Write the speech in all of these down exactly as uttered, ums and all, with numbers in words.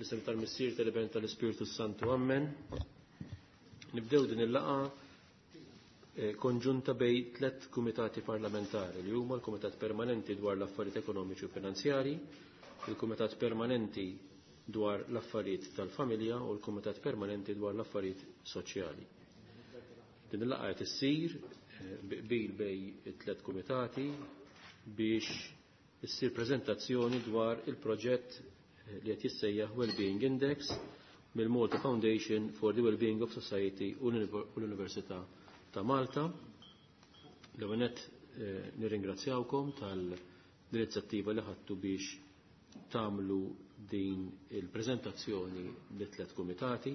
Fl-isem tal-Missier, tal-Iben, tal-Ispirtu Santu, Amen. Nibdew din il-laqgħa eh, konġunta bejn tliet kumitati parlamentari li huma l-Kumitat Permanenti dwar l-Affarijiet Ekonomiċi u Finanzjarji, il-Kumitat Permanenti dwar l-Affarijiet tal-Familja u l-Kumitat Permanenti dwar l-Affarijiet Soċjali. Din il-laqgħa qed issir eh, bi qbil bejn it-tliet kumitati biex issir preżentazzjoni dwar il-proġett eh, li qed jissejjaħ Wellbeing Index mill-Malta Foundation for the Wellbeing of Society u l-Università ta' Malta. L-ewwel nett eh, nirringrazzjawkom tal-inizjattiva li ħadtu biex tagħmlu din il-preżentazzjoni lit-tliet kumitati.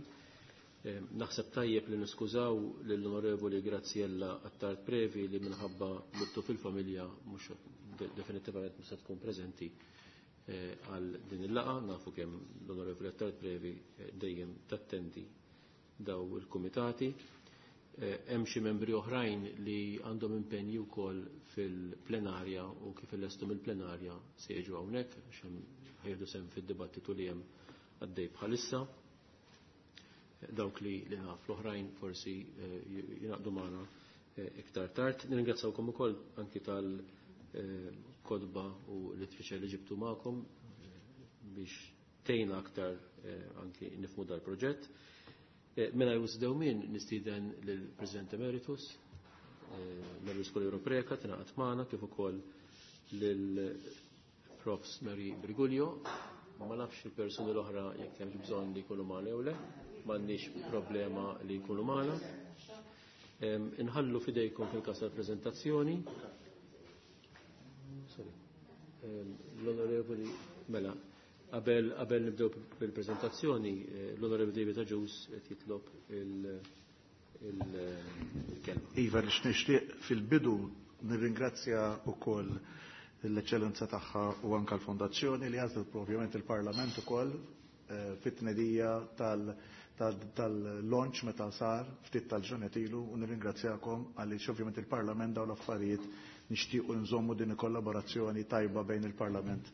Eh, Naħseb tajjeb li niskużaw lill-Onorevoli Graziella Attard Previ li minħabba luttu fil-familja mhux definitivament mhux se tkun preżenti eh, għal din il-laqgħa, nafu kemm l-Onorevoli Attard Previ eh, dejjem tattendi daw il-kumitati. Hemm xi membri oħrajn li għandhom impenji wkoll fil-plenarja u kif illestu mill-plenarja se jiġu hawnhekk għax hemm ħa jieħdu sehem fid-dibattitu li hemm għaddej bħalissa. Dawk li li naf, l-oħrajn forsi jingħaqdu magħna iktar tard. Nirringrazzawkom ukoll anki tal-kotba u l-literature li ġibtu magħkom biex tgħinna aktar anki nifhmu dal-proġett. Mingħajr wisq dewmien nistieden lill-President Emeritus, Marie Coleiro Preca, tingħaqad magħna, kif ukoll lil Profs Marie Briguglio. Ma nafx il-persuni l-oħra jekk hemmx bżonn li jkunu magħna jew le, m'għandniex problema li jkunu magħna. Inħallu fidejkom fil-każ tal-preżentazzjoni. Sorry. L-Onorevoli, mela, qabel qabel nibdew bil-preżentazzjoni, l-Onorevoli David Agius qed jitlob il-kelma. Iva, nix nixtieq fil-bidu nirringrazzja wkoll l-eċċellenza tagħha u anka l-fondazzjoni li għażlet propjament il-Parlament ukoll eh, fit-tnedija tal-launch meta sar ftit tal-ġranet ilu, u nirringrazzjakom għaliex ovvjament il-Parlament dawn l-affarijiet nixtiequ nżommu din il-kollaborazzjoni tajba bejn il-Parlament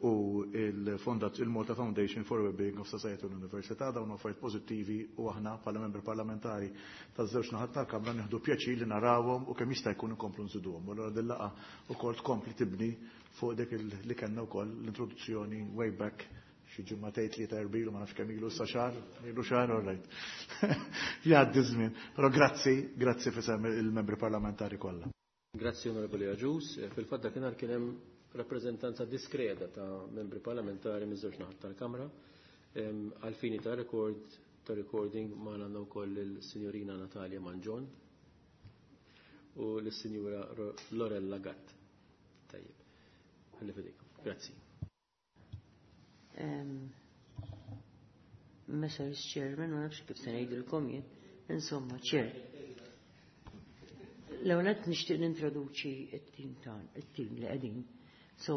u il-Malta Foundation for Wellbeing of Society u l-Università. Dawn affarijiet pożittivi u aħna bħala membri parlamentari taż-żewġ naħat tal-Kamra nieħdu pjaċir li narawhom u kemm jista' jkun inkomplu nżiduhom. U allura din laqgħa wkoll tkompli tibni fuq dik li kellna wkoll l-introduzzjoni way back xi ġimgħatejn, tlieta, erbgħa ilu, ma nafx kemm ilu sa xahar, ilu xahar, all right. Jgħaddi żmien. Però grazzi, grazzi f'isem il-membri parlamentari kollha. Grazzi, Onorevoli Agius. Fil-fatt dakinhar kien hemm rappreżentanza diskreta ta' membri parlamentari miż-żewġ naħat tal-Kamra. Għal fini ta' record ta' recording ma għandna wkoll il-Sinjorina Natalia Mangion u l-Sinjura Lorella Gatt. Tajjeb. Ħalli fidejkom. Grazzi. Um, Messrs Chairman, ma nafx kif se ngħidilkom jien, insomma, Chair. L-ewwel qed nixtieq nintroduċi t-tim tan, it-tim li qegħdin. So,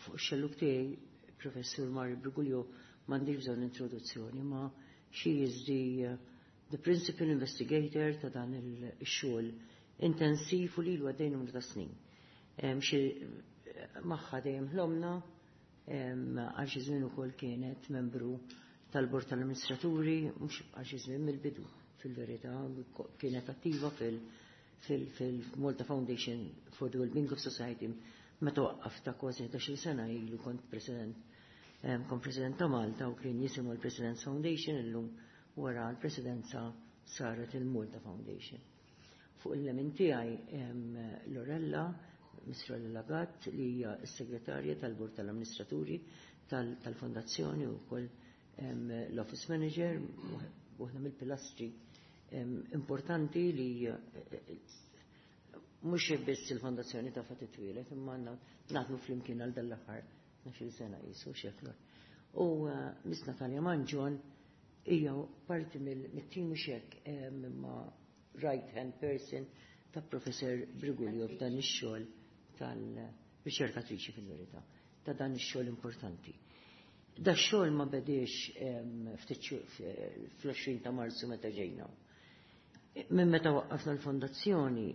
fuq ix-xellug tiegħi, Professur Mari Briguglio, m'għandix bżonn introduzzjoni, ma she is the, uh, the principal investigator ta' dan il-xogħol intensiv u li ilu għaddej numru ta' snin. Xi magħha dejjem ħlomna, għal xi żmien ukoll kienet membru tal-bord tal-amministraturi, mhux għal xi żmien, mill-bidu fil-verità, kienet attiva fil- fil-Malta Foundation for the Wellbeing of Society meta waqqaf ta' kważi ħdax-il sena ilu. Kont president kont president ta' Malta u kien jisimhu l-President's Foundation, illum wara l-presidenza saret il-Malta Foundation. Fuq il-lemin tiegħi Lorella, Miss Lorella Gatt, li hija s-segretarja tal-Bord tal-Amministraturi tal-Fondazzjoni u wkoll l-Office Manager, waħda mill-pilastri importanti li mhux biss il-fondazzjoni ta' fatt twieled, imma għandna naħdmu flimkien għal dal-aħħar tnax-il sena jisu xeflor. U Miss Natalia Mangion hija parti mill-tim xek imma right hand person ta' Professor Briguglio f'dan ix-xogħol tal-riċerkatriċi fil-verità ta' dan ix-xogħol importanti. Da xogħol ma bediex fl-għoxrin ta' Marzu meta ġejna. Minn meta waqqafna l-fondazzjoni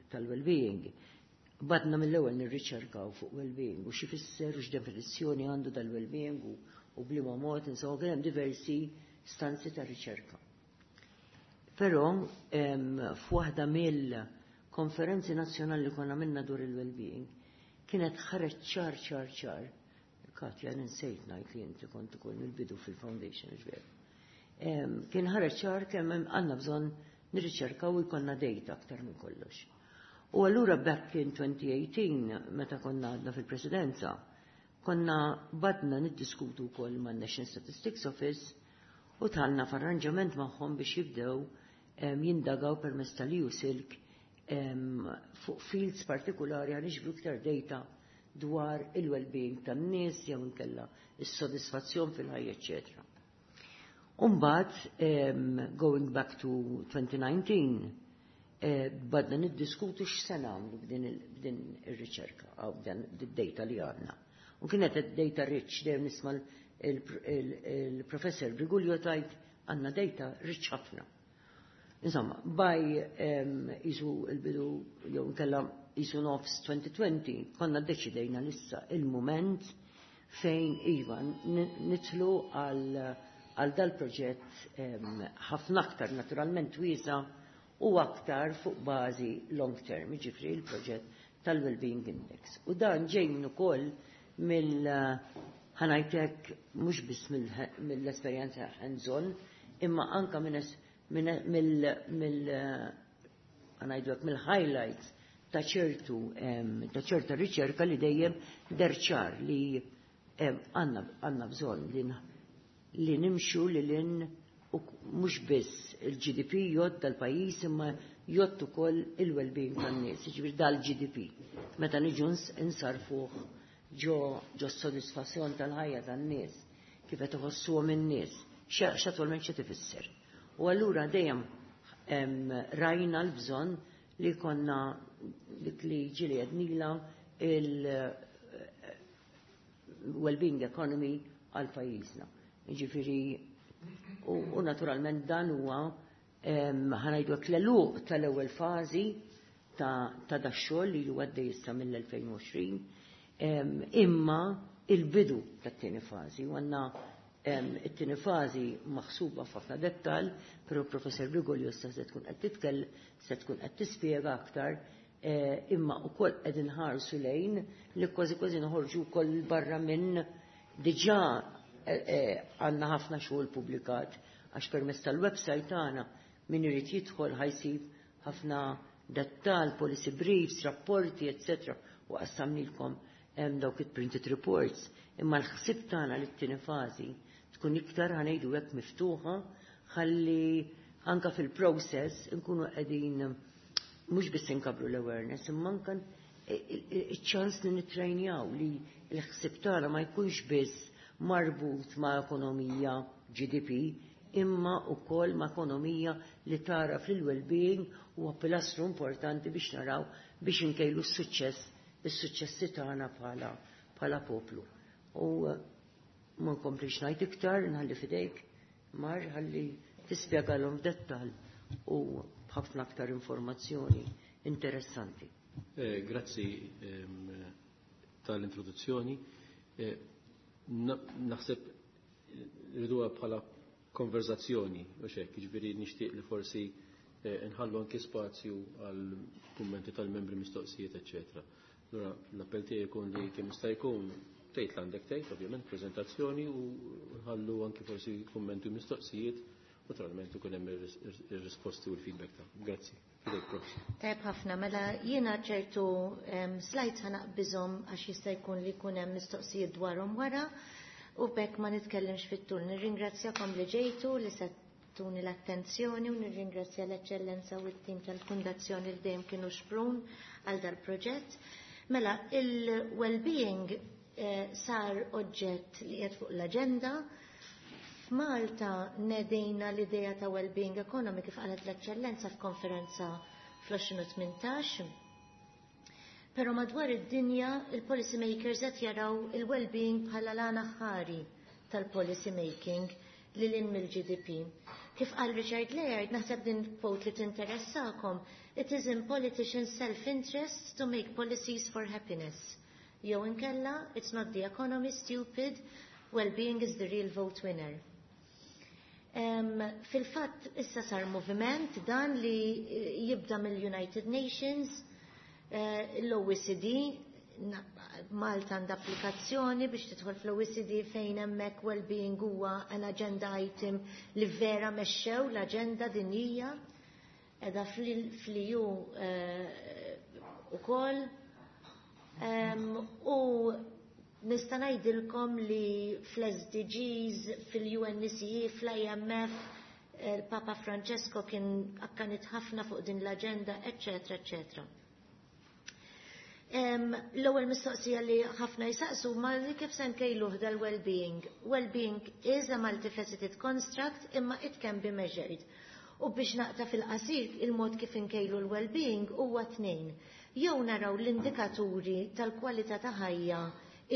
tal-well-being, Badna mill-ewwel nirriċerkaw fuq well-being u x'ifisser u x'definizzjoni għandu dal-well-being u, u b'liema mod, insomma, kien hemm diversi stanzi ta' riċerka. Però f'waħda mill-konferenzi nazzjonali li konna minna dwar il-well-being kienet ħareġ ċar ċar ċar. Katja, ninsejt ngħid li inti kont ukoll mill-bidu fil-foundation, ġver. Kien ħareġ ċar kemm għandna bżonn nirriċerkaw u jkollna data aktar minn kollox. U allura back in twenty eighteen, meta konna għadna fil-presidenza, konna badna niddiskutu wkoll man National Statistics Office u dħalna f'arranġament magħhom biex jibdew jindagaw permezz tal-E U SILC fuq fields partikolari għal niġbru iktar data dwar il-well-being tan-nies jew inkella is-sodisfazzjon fil-ħajja, eċċetera. Umbagħad, going back to twenty nineteen, eh, badna niddiskutu x'se nagħmlu b'din ir-riċerka għaw b'dan id-data li għandna. U kienet data rich, dejjem nisma' il-professor Briguglio tgħid għandna data rich ħafna. Insomma, by isu il-bidu jew nkella isu nofs twenty twenty konna deċidejna lissa il-moment fejn iva nidħlu għal għal dal-proġett ħafna aktar naturalment wiesa' u aktar fuq bażi long term, ġifri il-proġett tal-Wellbeing Index. U dan ġej minn ukoll mill ħa ngħidlek mhux biss mill-esperjenza hands-on, imma anka minn mill mill ħa ngħidlek mill-highlights ta' ċertu ta' ċerta riċerka li dejjem deher ċar li għandna bżonn li li nimxu li lin u mhux biss il-G D P jgħodd tal-pajjiż imma jgħodd ukoll il-well-being tan-nies, jiġifieri dal-G D P. Meta niġu insarfuh ġo ġo sodisfazzjon tal-ħajja tan-nies, kif qed iħossuhom in-nies, x'attwalment xi tifisser. U allura dejjem rajna l-bżonn li konna dik li ġieli għednila il-well-being economy għal pajjiżna. Ġifiri, u naturalment dan huwa ħa ngħidu l-għeluq tal-ewwel fażi ta' dax-xogħol li huwa għaddej issa mill-elfejn u għoxrin, imma il-bidu tat-tieni fażi. U għandna it-tieni fażi maħsuba f'ħafna dettal, però Professor Briguglio se tkun qed titkell, se tkun qed tispjega aktar, eh, imma wkoll qed inħarsu lejn li kważi kważi noħorġu wkoll barra minn diġà eh, eh, għandna ħafna xogħol publikat għax permezz tal-website tagħna min irid jidħol ħa jsib ħafna dettal, policy briefs, rapporti, eccetera. U qassamnilkom dawk it-printed reports. Imma l-ħsib tagħna li t-tieni fażi tkun iktar ħa ngħidu hekk miftuħa ħalli anka fil-process nkunu qegħdin mhux biss inkabru l-awareness imma anka iċ-ċans li nittrejnjaw li l-ħsib tagħna ma jkunx biss marbut ma' ekonomija G D P imma wkoll ma' ekonomija li tara fil-well-being huwa pilastru importanti biex naraw biex inkejlu s-suċċess is-suċċessi tagħna bħala bħala poplu. U ma nkomplix ngħid iktar, nħalli fidejk, Mar, ħalli tispjegalhom f'dettall u b'ħafna aktar informazzjoni interessanti. Eh, grazzi ehm, tal-introduzzjoni. Eh, naħseb rriduha bħala konverzazzjoni, u xek, ġifieri nixtieq li forsi eh, nħallu anki spazju għal kummenti tal-membri, mistoqsijiet, eċċetera. Allura l-appell tiegħi jkun li kemm jista' jkun tgħid l-għandek tgħid, ovvjament, preżentazzjoni u nħallu anki forsi kummenti u mistoqsijiet, naturalment ikun hemm ir-risposti u l-feedback ta'. Grazzi. Fidejk, Prof. Tajb ħafna, mela jiena ċertu slides ħa naqbiżhom għax jista' jkun li jkun hemm mistoqsijiet dwarhom wara u bekk ma nitkellimx fit-tul. Nirringrazzjakom li ġejtu, li tuni l-attenzjoni u nirringrazzja l-Eċċellenza u t-tim tal-Fundazzjoni li dejjem kienu xprun għal dal-proġett. Mela, il-well-being eh, sar oġġett li qiegħed fuq l-aġenda. F'Malta nedejna l-idea ta' well-being economy kif qalet l-Eċċellenza f'konferenza fl-elfejn u tmintax. Pero madwar id-dinja il-policy makers qed jaraw il-well-being bħala l-għana ħari tal-policy making li lil mill-G D P. Kif qal Richard Layard, naħseb din quote li tinteressakom, "It is in politicians' self-interest to make policies for happiness." Jew inkella, "It's not the economy, stupid, well-being is the real vote winner." Um, Fil-fatt, issa sar moviment dan li jibda mill-United Nations, uh, l-O E C D, Malta għandha applikazzjoni biex tidħol fl-O E C D fejn hemmhekk well-being huwa an agenda item li vera mexxew l-aġenda dinjija edha fl-E U ukoll. U nista' ngħidilkom li fl-S D Gs, fil-U N E C E, fl-I M F, il-Papa Francesco kien akkanit ħafna fuq din l-aġenda, eccetera, eccetera. L-ewwel mistoqsija li ħafna jisaqsu ma li kif se nkejluh dal-well-being. Well-being is a multifaceted construct, imma it can be measured. U biex naqta' fil-qasir, il-mod kif inkejlu l-well-being huwa tnejn. Jew naraw l-indikaturi tal-kwalità ta' ħajja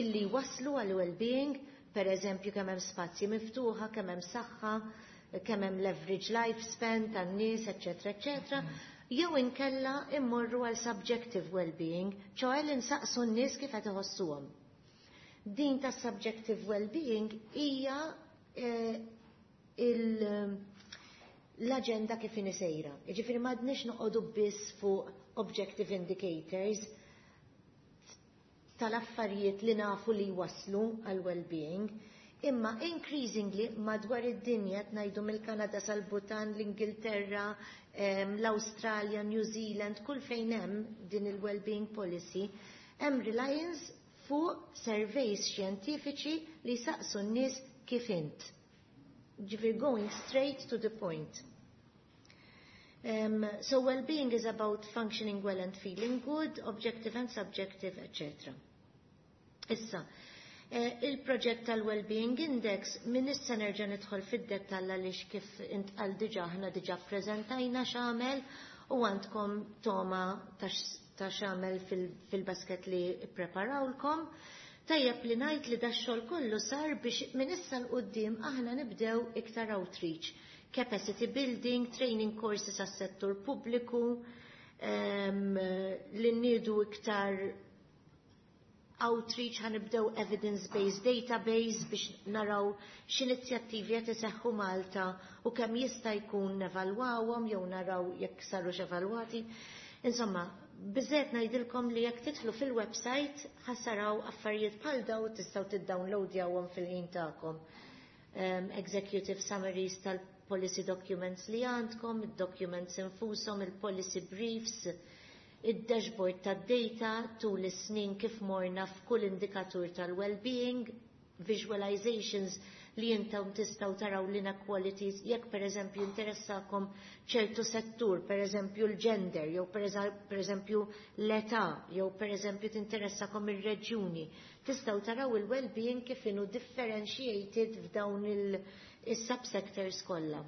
illi waslu għal well-being, per eżempju kemm hemm spazji miftuħa, kemm hemm saħħa, kemm hemm l-average lifespan tan-nies, eċetera, eċetera, jew inkella immorru għal subjective well-being, ċoè li nsaqsu n-nies kif qed iħossuhom. Din ta' subjective well-being hija eh, l-aġenda kif sejra. Jiġifieri m'għadniex noqogħdu biss fuq objective indicators tal-affarijiet li nafu li waslu għal well-being, imma increasingly madwar id-dinja, ngħidu mill-Kanada sal-Butan, l-Ingilterra, l-Australia, New Zealand, kull fejn hemm din il-well-being policy, hemm reliance fuq surveys xjentifiċi li saqsu n-nies kif int. Ġifieri going straight to the point. Um, so well-being is about functioning well and feeling good, objective and subjective, et cetera. Issa, eh, il-proġett tal-Wellbeing Index minn issa nerġa' nidħol fid-dettall għaliex kif intqal diġà, aħna diġà ppreżentajna x'għamel u għandkom toma ta' x'għamel fil-basket li preparawlkom. Tajjeb li ngħid li dax-xogħol kollu sar biex minn issa 'l quddiem aħna nibdew iktar outreach, capacity building, training courses għas-settur pubbliku, um, li nniedu iktar outreach, ħa nibdew evidence-based database biex naraw x'inizjattivi qed iseħħu Malta u kemm jista' jkun nevalwawhom jew naraw jekk sarux evalwati. Insomma, biżżejjed ngħidilkom li jekk tidħlu fil-website ħa taraw affarijiet bħal daw, tistgħu tiddownloadjawhom fil-ħin tagħkom. Um, executive summaries tal-policy documents li għandkom, il-documents infushom, il-policy briefs, id-dashboard tad-data tul is-snin kif morna f'kull indikatur tal-well-being, visualizations li intom tistgħu taraw l-inequalities, jekk per eżempju interessakom ċertu settur, per eżempju l-gender, jew per eżempju l-età, jew per eżempju tinteressakom ir-reġjuni. Tistgħu taraw il-well-being kif inhu differentiated f'dawn il-subsectors kollha.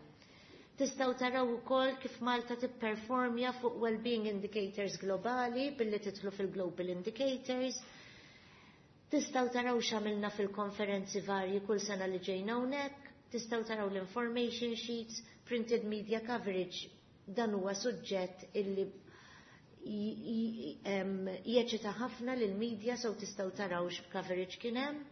Tistgħu taraw ukoll kif Malta tipperformja fuq well-being indicators globali billi tidħlu fil-global indicators. Tistgħu taraw x'għamilna fil-konferenzi varji kull sena li ġejna hawnhekk, tistgħu taraw l-information sheets, printed media coverage, dan huwa suġġett illi jeċita ħafna lil media, so tistgħu taraw x'coverage kien hemm.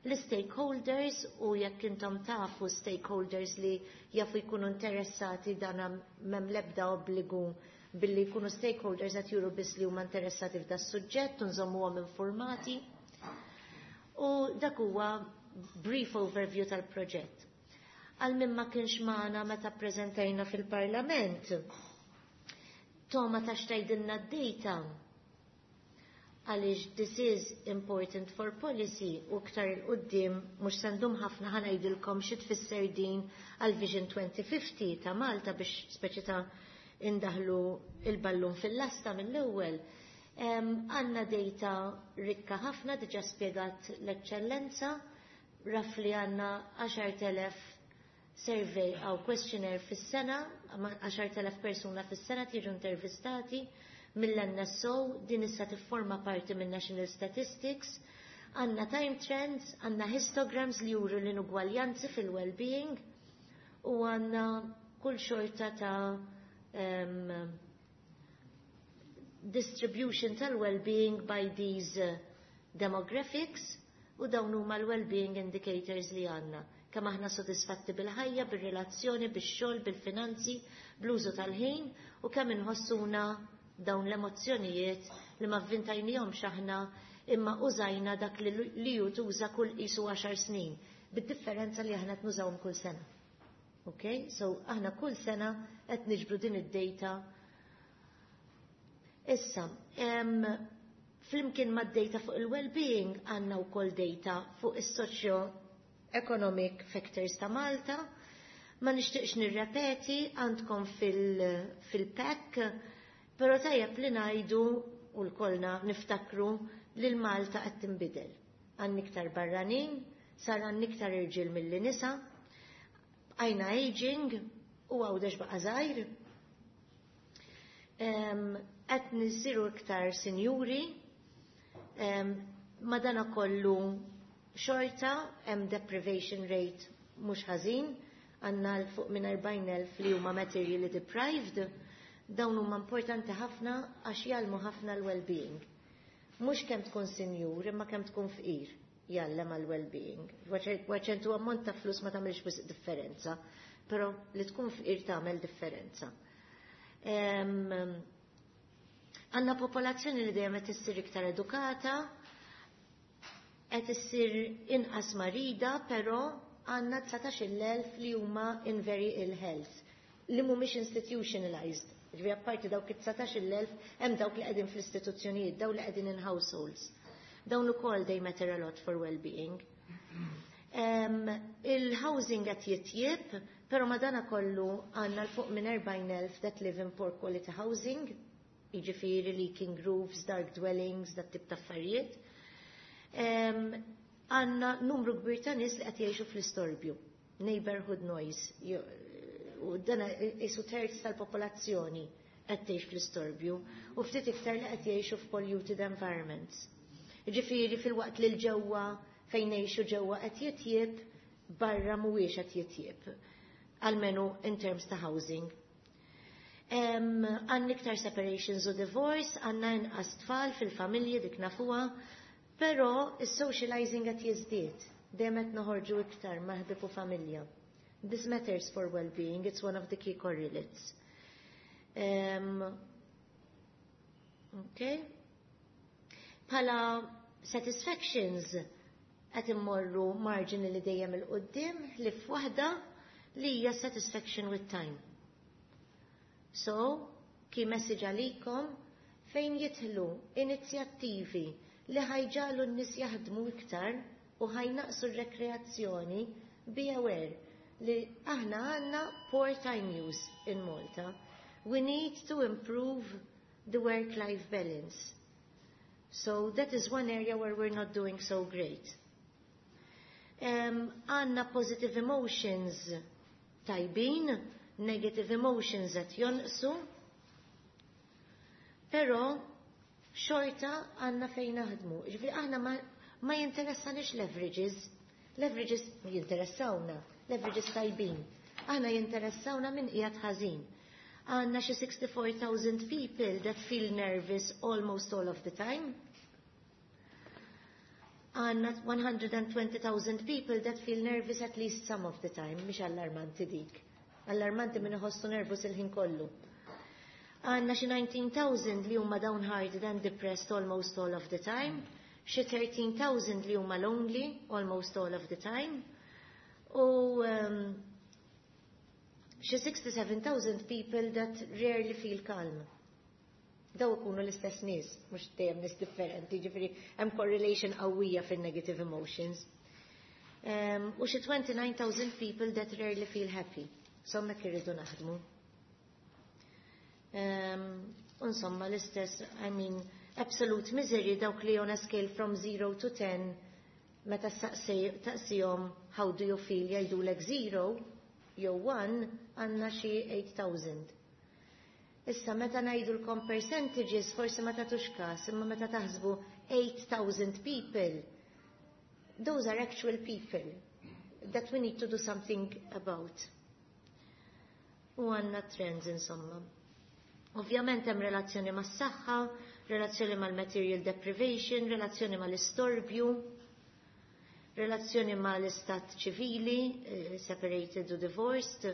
L-stakeholders, u jekk intom tafu stakeholders li jafu jkunu interessati, dan m'hemm l-ebda obbligu, billi jkunu stakeholders qed juru biss li huma interessati f'da suġġett u nżommuhom informati. U dak huwa brief overview tal-proġett. Għal min ma kienx magħna meta ppreżentajna fil-Parlament, Toma ta' xtajdilna d-data għaliex this is important for policy, u iktar 'il quddiem mhux se ndum ħafna ħa ngħidilkom xi tfisser din għal Vision twenty fifty ta' Malta biex speċi ta' indaħlu il-ballun fil-lasta mill-ewwel. Għandna data rikka ħafna, diġà spjegat l-eċċellenza, roughly għandna għaxart elef survey għaw questionnaire fis-sena, għaxart elef persuna fis-sena tiġu intervistati mill-N S O, din issa tifforma parti minn National Statistics, għandna time trends, għandna histograms li juru l-inugwaljanzi fil-well-being u għandna kull xorta ta' um, distribution tal-well-being by these uh, demographics u dawn huma l-well-being indicators li għandna. Kemm aħna sodisfatti bil-ħajja, bir-relazzjoni, bix-xogħol, bil-finanzi, bl-użu tal-ħin u kemm inħossuna dawn l-emozzjonijiet li ma vvintajnihomx aħna imma użajna dak li li ju tuża kull qisu għaxar snin, bid-differenza li aħna qed nużawhom kull sena. Okay? So aħna kull sena qed niġbru din id-data. Issa, em, flimkien mad-data fuq il-well-being għandna wkoll data fuq is-socio economic factors ta' Malta. Ma nixtieqx nirrepeti, għandkom fil-pack, però tajjeb li ngħidu u lkoll niftakru li l-Malta qed tinbidel. Għandna iktar barranin, sar għandna iktar irġiel milli nisa, għajna aging u Għawdex baqa' żgħir. Qed nisiru iktar sinjuri, madana kollu xorta hemm deprivation rate mhux ħażin, għandna 'l fuq minn erbgħin elf li huma materially deprived, dawn huma importanti ħafna għax jgħallmu ħafna l-well-being. Mhux kemm tkun sinjur, imma kemm tkun fqir jgħallem għal-well-being. Ċertu ammont ta' flus ma tagħmilx wisq differenza, però li tkun fqir tagħmel differenza. Għandna popolazzjoni li dejjem qed issir iktar edukata, qed issir inqas marida, però għandna dsatax-il elf li huma in very ill health, li mhumiex institutionalized. Ġifieri apparti dawk it-dsatax-il elf hemm dawk li qegħdin fl-istituzzjonijiet, dawk li qegħdin in households. Dawn ukoll they matter a lot for well-being. Um, Il-housing qed jitjieb, però madana kollu għandna 'l fuq minn erbgħin elf that live in poor quality housing, jiġifieri leaking roofs, dark dwellings, dat tip ta' affarijiet. Għandna numru kbir ta' nies li qed jgħixu fl-istorbju, neighborhood noise, u dan qisu terz tal-popolazzjoni qed tgħix fl-istorbju u ftit iktar li qed jgħixu f'polluted environments. Ġifieri filwaqt li l-ġewwa fejn ngħixu ġewwa qed jitjieb, barra mhuwiex qed jitjieb. Almenu in terms ta' housing. Għandna iktar separations u divorce, għandna inqas tfal fil-familji, dik nafuha, però is-socializing qed jiżdied. Dejjem qed noħorġu iktar ma' ħbieb u familja. This matters for well-being, it's one of the key correlates. Um, okay. Bħala satisfactions qed immorru marginally dejjem 'il quddiem li f'waħda li hija satisfaction with time. So, key message għalikom fejn jidħlu inizjattivi li ħa jġagħlu n-nies jaħdmu iktar u ħa jnaqqsu r-rekreazzjoni, be aware li aħna għandna poor time use in Malta. We need to improve the work-life balance. So that is one area where we're not doing so great. Għandna um, positive emotions tajbin, negative emotions qed jonqsu, però xorta għandna fejn naħdmu. Ġifieri aħna ma, ma jinteressanix l-averages, l-averages jinteressawna, l-averages tajbin. Aħna jinteressawna min qiegħed ħażin. Għandna xi sixty-four thousand people that feel nervous almost all of the time. Għandna one hundred twenty thousand people that feel nervous at least some of the time, mhix allarmanti dik. Allarmanti min iħossu nervous il-ħin kollu. Għandna xi nineteen thousand li huma downhearted and depressed almost all of the time, xi thirteen thousand li huma lonely almost all of the time, u um, xi sixty-seven thousand people that rarely feel calm. Daw ikunu l-istess nies, mhux dejjem nies differenti, ġifieri hemm correlation qawwija fin-negative emotions. Um, u xi twenty-nine thousand people that rarely feel happy. So hemmhekk irridu naħdmu. Um, insomma, l-istess, I mean, absolute misery, dawk li on a scale from zero to ten, meta taqsihom "How do you feel?" jgħidulek zero jew one, għandna xi eight thousand. Issa meta ngħidulkom percentages forsi ma tagħtux każ, imma meta taħsbu eight thousand people, those are actual people that we need to do something about. U għandna trends insomma. Ovvjament hemm relazzjoni mas-saħħa, relazzjoni mal-material deprivation, relazzjoni mal-istorbju, relazzjoni mal-istat ċivili, eh, separated u divorced,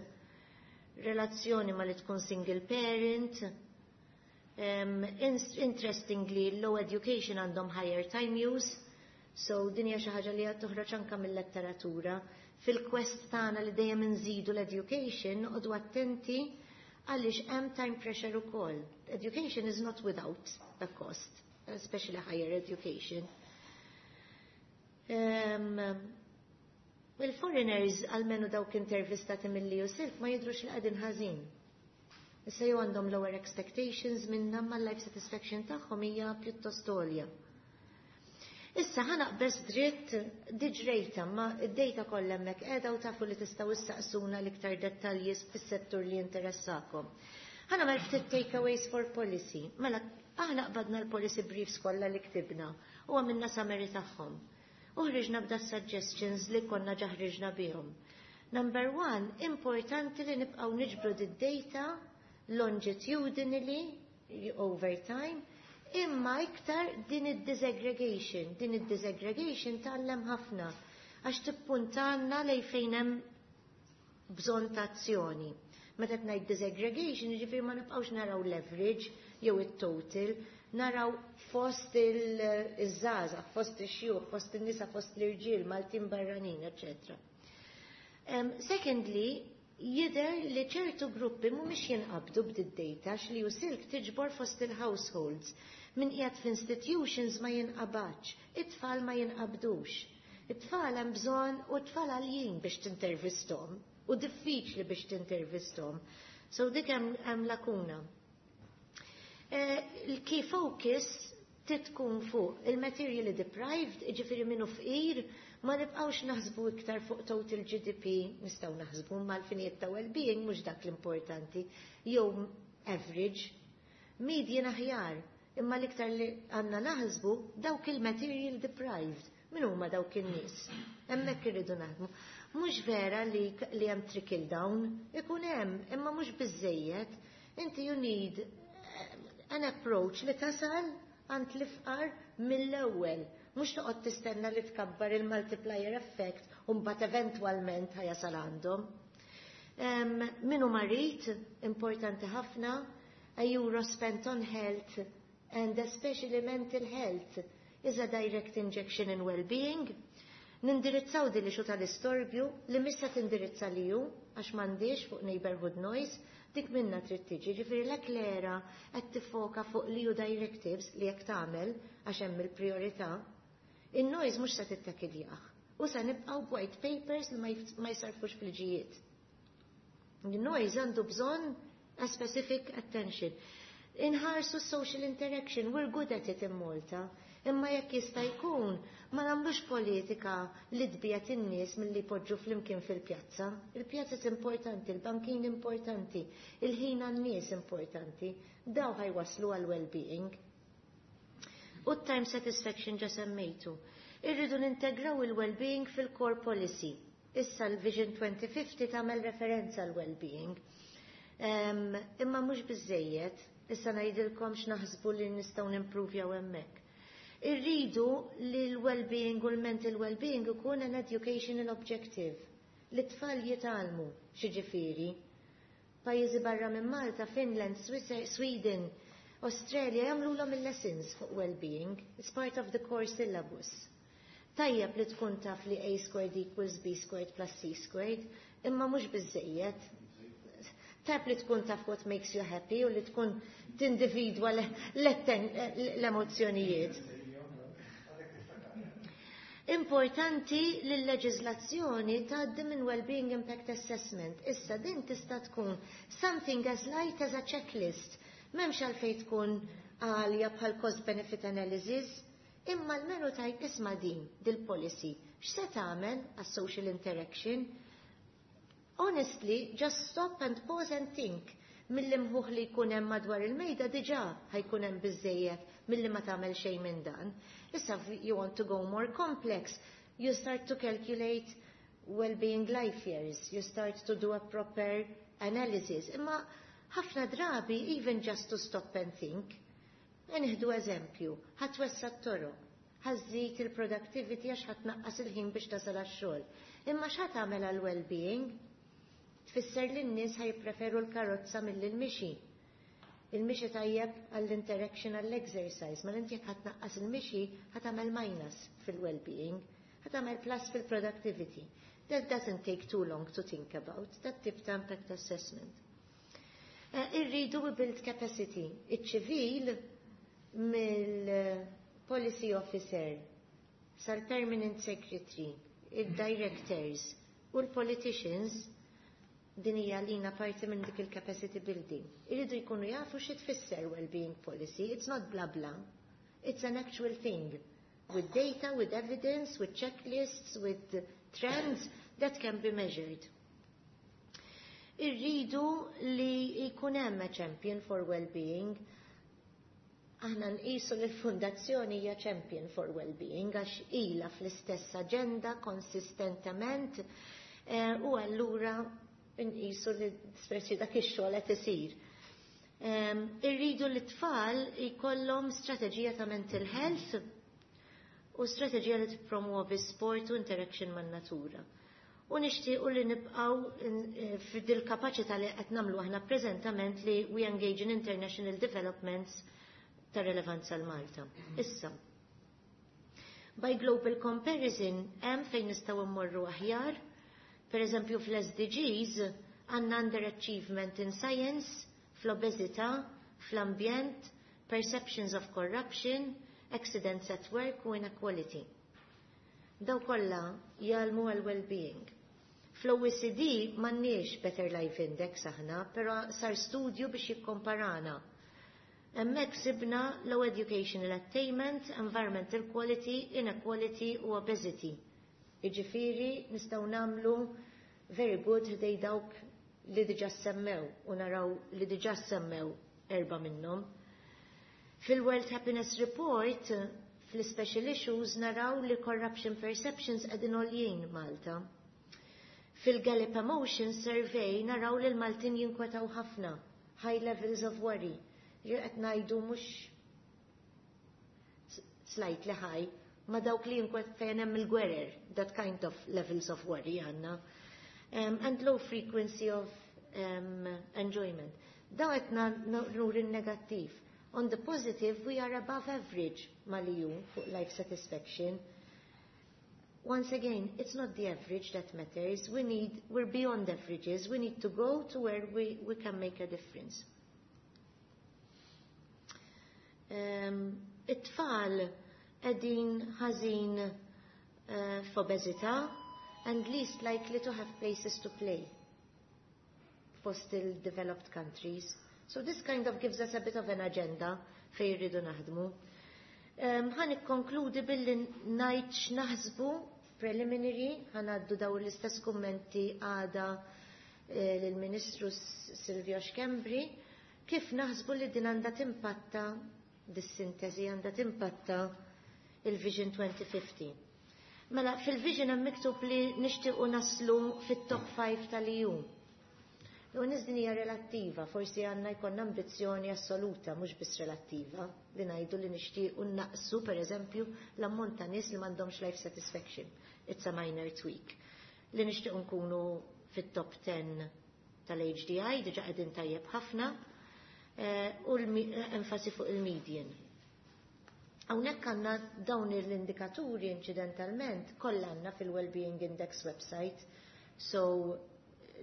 relazzjoni ma li tkun single parent. Um, interestingly, low education għandhom higher time use, so din hija xi ħaġa li qed toħroġ anke mill-letteratura. Fil-quest tagħna li dejjem inżidu l-education, noqogħdu attenti għaliex hemm time pressure ukoll. Education is not without a cost, especially higher education. Um, Il-foreigners, għalmenu dawk intervistati mill-EU-SILC, ma jidrux li qegħdin ħażin. Issa jew għandhom lower expectations minna ma life satisfaction tagħhom hija pjuttost għolja. Issa ħa naqbeż dritt diġrejta, ma id-data kollha hemmhekk qiegħda u tafu li tistgħu issaqsuna l-iktar dettalji fis-settur li jinteressakom. Ħa nagħmel ftit takeaways for policy. Mela aħna qbadna l-policy briefs kollha li ktibna u għamilna summary tagħhom. U ħriġna b'da suggestions li konna ġa ħriġna bihom. Number one, importanti li nibqgħu niġbru d-data longitudinally over time, imma iktar din id-disaggregation. Din id-disaggregation tgħallem ħafna għax tippuntanna lej fejn hemm bżonn ta' azzjoni. Meta ngħid disaggregation, jiġifieri ma nibqgħux naraw l-average jew it-total, naraw fost iż-żgħażagħ, fost ix-xjuħ, fost in-nisa, fost l-irġiel, Maltin barranin, eċetera. Um, secondly, jidher li ċertu gruppi mhumiex jinqabdu b'did-data l-EU-SILC tiġbor fost il-households. Min qiegħed f'institutions ma jinqabadx, it-tfal ma jinqabdux. It-tfal hemm bżonn u t-tfal għaljin biex tintervistom u diffiċli biex tintervistom. So dik hemm lakuna. Eh, il-key focus titkun fuq il-materially deprived, ġifieri minnu fqir, ma nibqawx naħsbu iktar fuq total G D P, nistgħu naħsbu mal-finijiet ta' well-being, mhux dak l-importanti, jew average, median aħjar, imma l-iktar li għandna naħsbu dawk il-material deprived, min huma dawk in-nies. Hemmhekk irridu naħdmu. Mhux vera li, li hemm trickle down, ikun hemm, imma mhux biżejjed. Inti you need an approach li tasal għand l-ifqar mill-ewwel. Mhux toqgħod tistenna li tkabbar il-multiplier effect u mbagħad eventwalment ħa jasal għandhom. Um, Minu marid, importanti ħafna, a euro spent on health and especially mental health is a direct injection in well-being. Nindirizzaw din l-issue tal-istorbju li missa tindirizza li ju, għax m'għandix fuq neighborhood noise, dik minna trid tiġi, ġifieri l-ECLERA qed tiffoka fuq l-E U directives li jekk tagħmel għax hemm il-priorità. In-noise mhux se tittakiljaħ. U se nibqgħu white papers li ma jsarfux fil-ġijiet. Il-noise għandu bżonn a specific attention. Inħarsu social interaction, we're good at it in Malta. Imma jekk jista' jkun, ma nagħmlux politika li tbiegħed in-nies milli jpoġġu flimkien fil-pjazza. Il-pjazza importanti, il-bankin importanti, il-ħin għan-nies importanti. Daw ħa jwasslu għal well-being. U time satisfaction ġa semmejtu. Irridu nintegraw il-well-being fil-core policy. Issa l-Vision twenty fifty tagħmel referenza għal well-being. Um, imma mhux biżejjed, issa ngħidilkom x'naħsbu li nistgħu nimprovjaw hemmhekk. Irridu li l-well-being u l-mental well-being ikun an educational objective. Li tfal jitgħallmu x'jiġifieri. Pajjiżi barra minn Malta, Finland, Sweden, Australia jagħmluhom il-lessons fuq well-being. It's part of the core syllabus. Tajjeb li tkun taf li A squared equals B squared plus C squared, imma mhux biżejjed. Tajjeb li tkun taf what makes you happy u li tkun tindividwa l-emozzjonijiet. Importanti li l-leġizlazzjoni tgħaddi minn Well-being Impact Assessment. Issa din tista' tkun something as light as a checklist. M'hemmx għalfejn tkun għalja bħal cost benefit analysis, imma l-menu tajt isma' din dil-policy. X'se tagħmel għas-social interaction? Honestly, just stop and pause and think. Mill-imħuħ li jkun hemm madwar il-mejda diġà ħa jkun hemm biżejjed milli ma tagħmel xejn minn dan. Issa you want to go more complex, you start to calculate well-being life years, you start to do a proper analysis. Imma ħafna drabi, even just to stop and think, nieħdu eżempju, ħa twessa' t-toroq, ħa żżid il-productivity għax ħa tnaqqas il-ħin biex tasal għax-xogħol. Imma x'ħa tagħmel għal-well-being? Tfisser li n-nies ħa jippreferu l-karozza mill-mixi. Il-mixi tajjeb għall-interaction, għall-exercise, ma inti jekk ħa tnaqqas il-mixi, ħa tagħmel minus fil-well-being, ħa tagħmel plus fil-productivity. That doesn't take too long to think about, that tip ta' impact assessment. Uh, irridu we build capacity. Iċ-ċivil mill-policy officer sal-permanent secretary, il-directors u l-politicians, din hija lina parti minn dik il-capacity building. Irridu jkunu jafu xi tfisser well-being policy. It's not bla bla. It's an actual thing. With data, with evidence, with checklists, with trends that can be measured. Irridu li jkun hemm a champion for well-being. Aħna nqisu li l-fundazzjoni hija champion for well-being għax ilha fl-istess agenda konsistentement eh, u allura nqisu li speċi dak ix-xogħol qed isir. Irridu li t-tfal jkollhom strateġija ta' mental health u strateġija li tippromuovi sport u interaction man-natura. U nixtiequ li nibqgħu eh, f'dil kapaċità li qed nagħmlu aħna preżentament li we engage in international developments ta' relevanza għal Malta. Issa, by global comparison, hemm fejn nistgħu mmorru aħjar, per eżempju fl-S D Gs għandna underachievement in science, fl-obesità, fl-ambjent, perceptions of corruption, accidents at work u inequality. Daw kollha jgħallmu għal well-being. Fl-O E C D m'għandniex Better Life Index aħna, però sar studju biex jikkomparana. Hemmhekk sibna low educational attainment, environmental quality, inequality u obesity. Iġifiri nistgħu nagħmlu very good ħdejn dawk li diġa semmew u naraw li diġa semmew erba minnhom. Fil-World Happiness Report, fil-Special Issues, naraw li corruption perceptions qegħdin għoljin Malta. Fil-Gallup Emotion Survey naraw li l-Maltin jinkwetaw ħafna, high levels of worry. Qed ngħidu mhux slightly high, ma dawk li jinkwet fejn hemm il-gwerer, that kind of levels of worry għandna. Um, and low frequency of um, enjoyment. Daw qed nuri negattiv. On the positive, we are above average mal-E U fuq life satisfaction. Once again, it's not the average that matters. We need, we're beyond averages. We need to go to where we, we can make a difference. Um, it-tfal qegħdin ħażin uh, f'obeżità and least likely to have places to play fost il-developed countries. So this kind of gives us a bit of an agenda fej rridu naħdmu. Um, ħa nikkonkludi billi ngħid x'naħsbu preliminary, ħa ngħaddu daw l-istess kummenti għada eh, lill-Ministru Silvio Schembri, kif naħsbu li din għandha timpatta, dis-sintesi għandha timpatta il-Vision twenty fifty. Mela, fil-Vision hemm miktub li nixtiequ naslu fit-top five tal-E U. U din hija relattiva, forsi għandna jkollna ambizzjoni assoluta, mhux biss relattiva, li ngħidu li nixtiequ naqsu pereżempju l-ammont ta' nies li m'għandhomx life satisfaction. It's a minor tweak. Li nixtiequ nkunu fit-top ten tal-H D I, diġa qegħdin tajjeb ħafna, eh, u l-enfasi fuq il-median. Hawnhekk għandna dawn l-indikaturi, incidentalment kollha għandna fil-Wellbeing Index website. So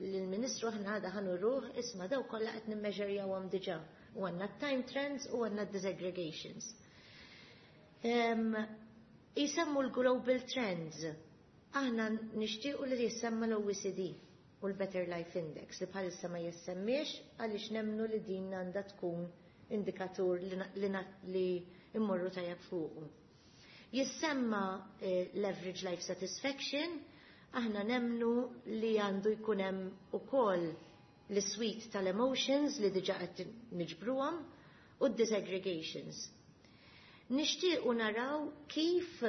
l-Ministru aħna għada ħa nuruh, isma', daw kollha qed nimmeġerjawhom diġà. U għandna time trends u għandna disaggregations. Um, jisemmu l-global trends. Aħna nixtiequ li jissemma l-O E C D u l-Better Life Index li bħalissa ma jissemmiex għaliex nemnu li din għandha tkun indikatur li, li, li immorru tajjeb fuqu. Jissemma eh, l-average life satisfaction, aħna nemnu li għandu jkun hemm ukoll l-suite tal-emotions li diġa qed niġbruhom u d-disaggregations. Nixtiequ naraw kif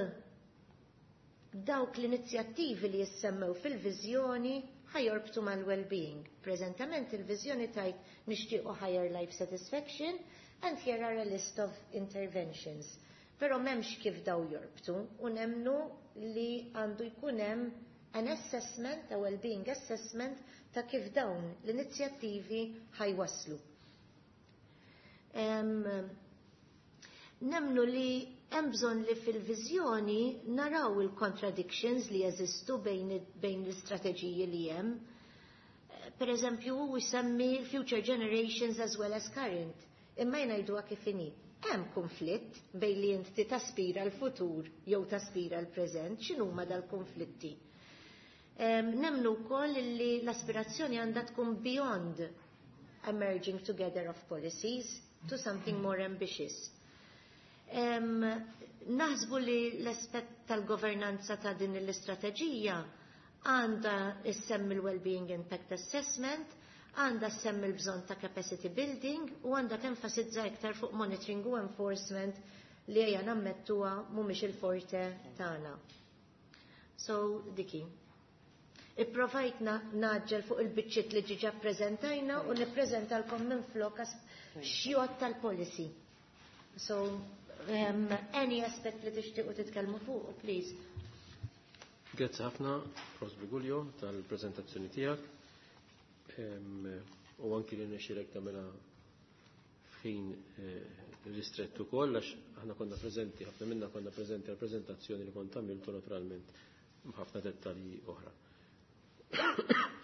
dawk l-inizjattivi li jissemmew fil-viżjoni ħa jorbtu mal-well-being. Preżentament il-viżjoni tgħid nixtiequ higher life satisfaction and here are a list of interventions. Però m'hemmx kif daw jorbtu u nemnu li għandu jkun hemm an assessment, a well-being assessment ta' kif dawn l-inizjattivi ħa jwasslu. Um, nemnu li hemm bżonn li fil-viżjoni naraw il-contradictions li jeżistu bejn, bejn l-istrateġiji li hemm. Per eżempju, hu jsemmi future generations as well as current. Imma jgħiduha kif inhi. Hemm konflitt bejn li inti taspira l-futur jew taspira l-preżent, x'inhuma dal-konflitti? Nemnu wkoll li l-aspirazzjoni għandha tkun beyond a merging together of policies to something more ambitious. Um, naħsbu li l-aspett tal-governanza ta' din l-istrateġija għandha issemmi l-Wellbeing Impact Assessment, għandha ssemmi l-bżonn ta' capacity building u għandha tenfasizza iktar fuq monitoring u enforcement li ejja nammettuha mhumiex il-forte tagħna. So, diki. Ipprovajt naġġel fuq il-biċċiet li diġà ppreżentajna u nippreżentalkom minn flok xjot tal-policy. So, um, any aspect li tixtiequ titkellmu fuq, please. Grazzi ħafna, Professur Briguglio, tal-prezentazzjoni tiegħek. U anki li nexxilek tagħmilha f'ħin ristrettu ukoll għax aħna konna preżenti, ħafna minna konna preżenti għall-preżentazzjoni li kont għamiltu naturalment ħafna dettalji oħra.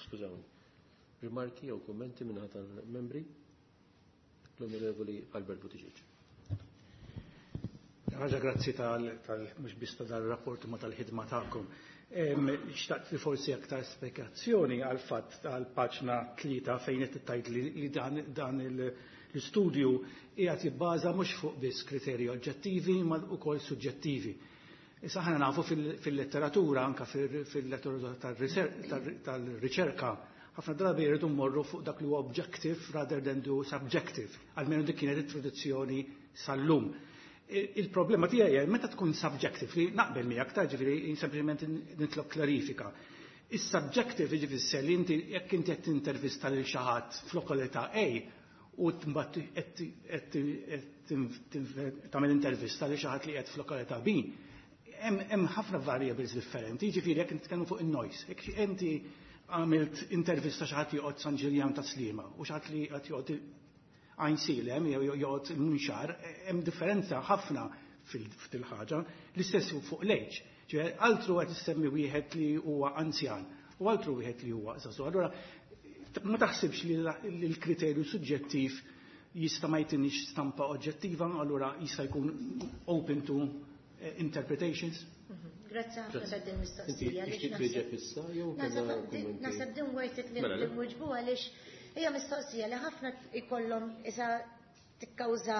Skużawni. Rimarki jew kummenti minn tal-membri? L-Onorevoli Albert Buttigieg. Ħaġa grazzi tal, tal mhux biss ta' dal-rapport ma tal-ħidma tagħkom. Xtaqt li forsi aktar spjegazzjoni għal fatt tal-paġna tlieta fejn qed tgħid li, li dan, dan l-istudju qiegħed jibbaża mhux fuq biss kriterji oġġettivi ma wkoll suġġettivi. Issa aħna nafu fil-letteratura, anka fil-letteratura tal-riċerka, ħafna drabi jridu mmorru fuq dak li huwa objective rather than do subjective. Almenu dik kienet it-tradizzjoni sal-lum. Il-problema tiegħi hija meta tkun subjective li naqbel miegħek ta' ġifieri sempliċement nitlob klarifika. Is-subjective jiġifieri li inti jekk inti qed tintervista lil xi ħadd f'lokalità A u mbagħad qed tagħmel intervista lil xi ħadd li qed f'lokalità B, hemm ħafna variables differenti, jiġifieri jekk nitkellmu fuq in-noise. Jekk inti għamilt intervista xi ħadd joqgħod San Ġiljan ta' Sliema u xi ħadd li qed joqgħod Għajnsielem jew joqgħod il-Munxar, hemm differenza ħafna fil-ħaġa, l-istess fuq l-age. Ġifieri altru qed issemmi wieħed li huwa anzjan u altru wieħed li huwa żagħżugħ. Allura ma taħsibx li l-kriterju suġġettiv jista' ma jtinix stampa oġġettiva, allura jista' jkun open to interpretations? Grazzi ħafna ta' din mistoqsija. Inti tixtieq issa jew Naħseb din worth it li nwieġbu għaliex hija mistoqsija li ħafna ikollhom isa tikkawża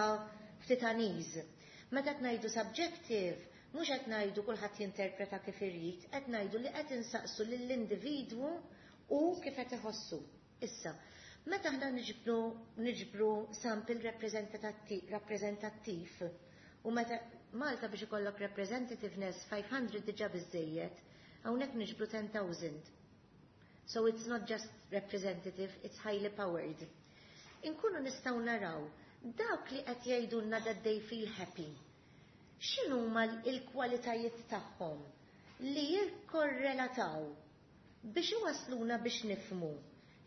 ftit unease. Meta qed ngħidu subjective, mhux qed ngħidu kulħadd jinterpreta kif irid, qed ngħidu li qed insaqsu lill-individwu u kif qed iħossu. Issa, meta aħna niġbru niġbru sample rappreżentattiv u meta Malta biex ikollok representativeness five hundred diġà biżejjed, hawnhekk niġbru ten thousand. So it's not just representative, it's highly powered. Inkunu nistgħu naraw dawk li qed jgħidulna that they feel happy. X'inhuma l-kwalitajiet tagħhom li jikkorrelataw biex iwasluna biex nifhmu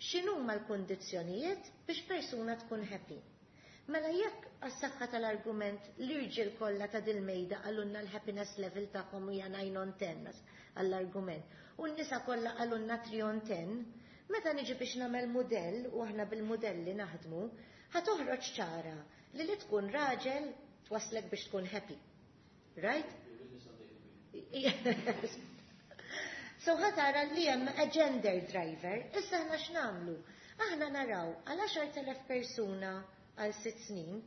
x'inhuma l-kundizzjonijiet biex persuna tkun happy. Mela jekk għas-saħħa tal-argument l-irġiel kollha ta' dil-mejda qalulna l-happiness level tagħhom hija nine on ten għall-argument u n-nisa kollha qalulna three on ten, meta niġi biex nagħmel mudell u aħna bil-modelli naħdmu, ħa toħroġ ċara li li tkun raġel twaslek biex tkun happy. Right? Yes. So ħa tara li hemm a gender driver, issa aħna x'nagħmlu? Aħna naraw għal għaxart elef persuna għal sitt snin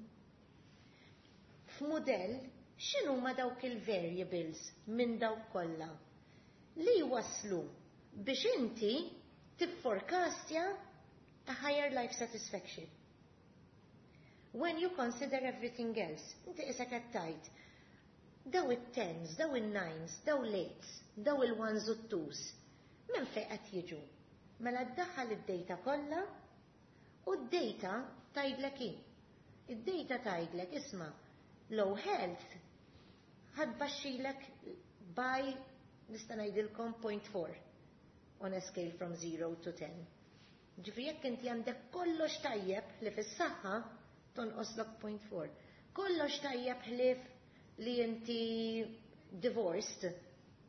f'mudell x'inhuma dawk il-variables minn dawk kollha li waslu biex inti tifforecastja a higher life satisfaction. When you consider everything else, inti issa qed tgħid daw it-tens, daw il-nines, daw l-eights, daw il-ones u t-twos, minn fejn qed jiġu? Mela ddaħħal id-data kollha u d-data tgħidlek hi. Id-data tgħidlek isma' low health ħa tbaxxilek by nista' ngħidilkom point four on a scale from zero to ten. Ġifieri jekk inti għandek kollox tajjeb li fis-saħħa tonqoslok point four. Kollox tajjeb ħlief li inti divorced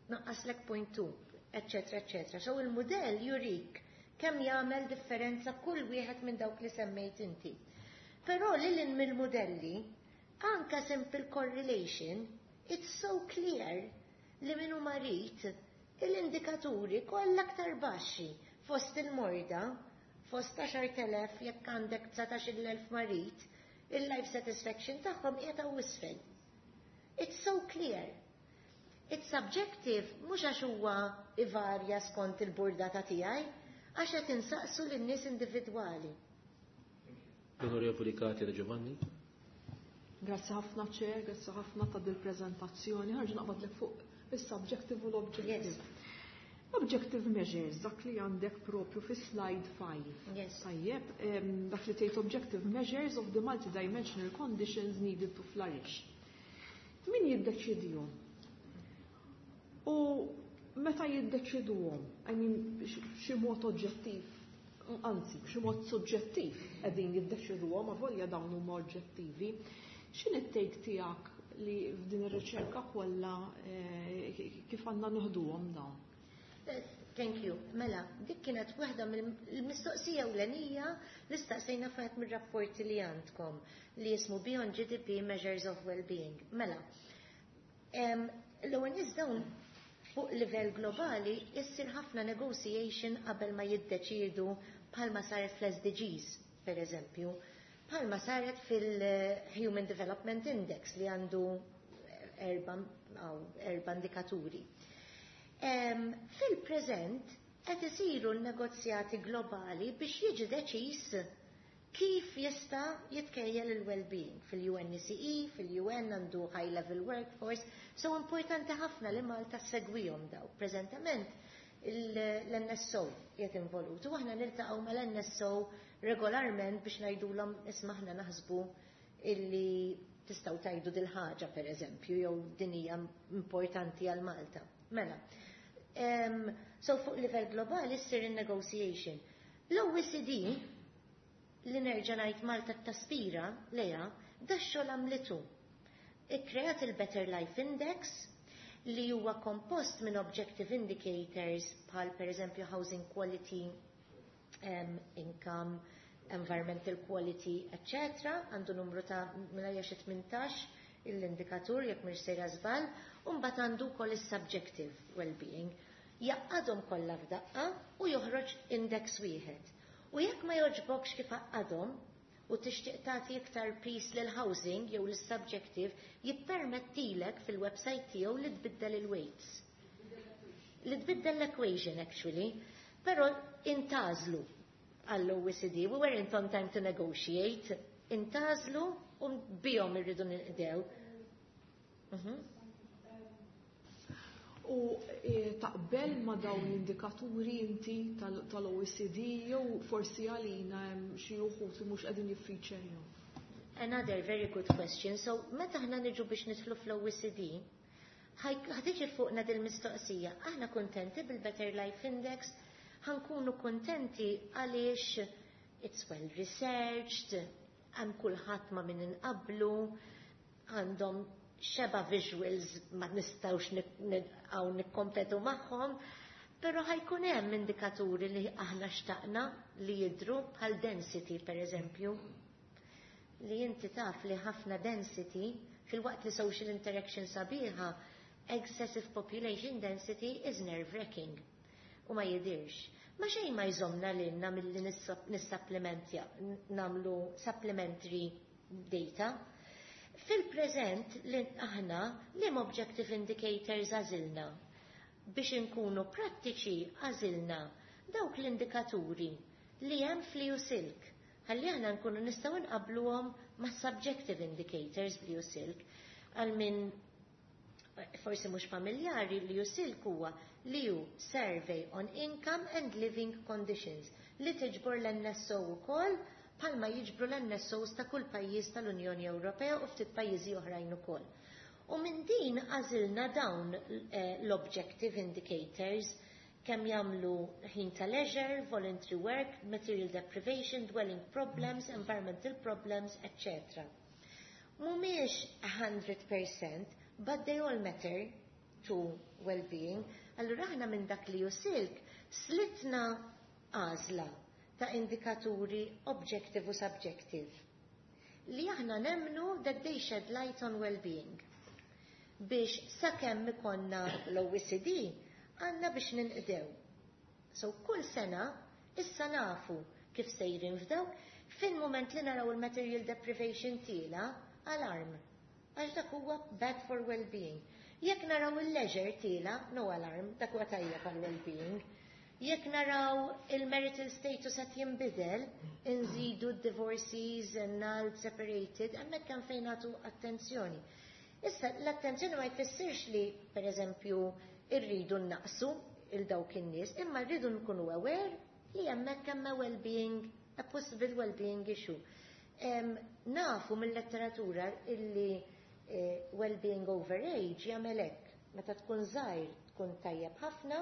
naqqaslek point two, eccetera, eccetera. So il-mudell jurik kemm jagħmel differenza kull wieħed minn dawk li semmejt inti. Però lil hinn mill-mudelli, anka simple correlation, it's so clear li min hu marid l-indikaturi kollha aktar baxxi fost il-morda, fost għaxart elef jekk għandek dsatax-il elf marid, il-life satisfaction tagħhom qiegħda isfel. It's so clear. It's subjective, mhux għax huwa ivarja skont il-burdata tiegħi, għax qed insaqsu lin-nies individwali. L-Onorevoli Katia De Giovanni. Grazzi ħafna Chair, grazzi ħafna ta' dil-prezentazzjoni. Ħa nerġa' naqbadlek fuq il-subjective u l-objective. Yes. Objective measures, dak li għandek propju fi slide five. Yes. Tajjeb, em, dak li tgħid objective measures of the multidimensional conditions needed to flourish. Min jiddeċidihom? U meta jiddeċiduhom, I mean, xi mod oġġettiv, anzi, b'xi mod soġġettiv qegħdin jiddeċiduhom, avolja dawn huma oġġettivi, x'inhi t-take tiegħek li f'din ir-riċerka kollha, eh, kif għandna nieħduhom dawn? Eh, thank you. Mela, dik kienet waħda mill-mistoqsija ewlenija li staqsejna f'waħed mir-rapporti li għandkom li jismu Beyond G D P Measures of Well-Being. Mela, em, l-ewwel nies dawn fuq livell globali issir ħafna negotiation qabel ma jiddeċiedu bħalma saret fl-S D Gs, per eżempju, bħalma saret fil-Human Development Index li għandu erba, erba indikaturi. Em, fil-preżent qed isiru n-negozjati globali biex jiġi deċiż kif jista' jitkejjel il-well-being fil-U N E C E, fil-U N għandu high level workforce, so importanti ħafna li Malta segwihom daw. Preżentament l-N S O qiegħed involut u aħna niltaqgħu mal-N S O regolarment biex ngħidulhom isma' aħna naħsbu illi tistgħu tgħidu dil-ħaġa pereżempju jew din hija importanti għal Malta. Mela, em, so fuq livell globali ssir in-negotiation. L-O E C D li nerġa' ngħid Malta taspira leja, da xogħol għamlitu. Ikkreat il-Better Life Index li huwa kompost minn objective indicators bħal pereżempju housing quality, um, income, environmental quality, eccetera. Għandu numru ta' minn xi tmintax l-indikatur jekk mhux sejra żball, u mbagħad għandu wkoll is-subjective well-being. Jaqadhom kollha f'daqqa u joħroġ index wieħed. U jekk ma jogħġbokx kif għaqqadhom u tixtieq tagħti iktar peace lil housing jew lis-subjective, jippermettilek fil-website tiegħu li tbiddel il-weights. Li tbiddel l-equation actually, però intażlu għall-O E C D, we weren't on time to negotiate, intażlu u bihom irridu ninqdew. Mhm. U, eh, taqbel ma dawn l-indikaturi inti tal-, tal-O E C D jew forsi għalina hemm xi wħud li mhux qegħdin jiffeaturjaw? Another very good question. So meta aħna niġu biex nidħlu fl-O E C D, ħatiġi fuqna dil-mistoqsija. Aħna kuntenti bil-Better Life Index, ħankunu kuntenti għaliex it's well researched, hemm kulħadd ma' min inqablu, għandhom xeba visuals ma nistgħux nibqgħu nikkompetu magħhom, però ħajkun hemm indikaturi li aħna xtaqna li jidhru bħal density pereżempju. Li inti taf li ħafna density fil-waqt li social interaction sabiħa, excessive population density is nerve-wracking u ma jidirx. Ma xejn ma jżomna lilna milli nissapplimentja, namlu supplementary data. Fil-preżent li aħna li objective indicators għażilna biex inkunu prattiċi għażilna dawk l-indikaturi li hemm fl-EU-SILC. Ħalli aħna nkunu nistgħu nqabbluhom ma' subjective indicators fl-EU-SILC għal min forsi mhux familjari li EU-SILC huwa l-E U Survey on Income and Living Conditions li tiġbor l-N S O ukoll, bħalma jiġbru l-N S Os ta' kull pajjiż tal-Unjoni Ewropea u ftit pajjiżi oħrajn ukoll. U minn din għażilna dawn eh, l-objective indicators, kemm jagħmlu ħin ta' leisure, voluntary work, material deprivation, dwelling problems, environmental problems, et cetera. Mhumiex mija fil-mija, but they all matter to well-being. Allura aħna minn dak li EU-SILC slitna għażla ta' indikaturi objective u subjective li aħna nemmnu that they shed light on well-being. Biex sakemm ikonna l-O E C D għandna biex ninqdew. So kull sena issa nafu kif sejrin f'daw. Fil-moment li naraw il-material deprivation tiela', alarm. Għax dak huwa bad for well-being. Jekk naraw il-leisure tiela', no alarm, dak huwa tajjeb għal well-being. Jekk naraw il-marital status qed jinbidel, inżidu divorces, annulled, separated, hemmhekk hemm fejn nagħtu attenzjoni. Issa, l-attenzjoni ma jfissirx li, per eżempju, irridu naqsu il dawk in-nies, imma rridu nkunu aware li hemmhekk hemm a well-being, a possible well-being issue. Em, nafu mill-letteratura illi eh, well-being over age jagħmel hekk. Meta tkun żgħir tkun tajjeb ħafna,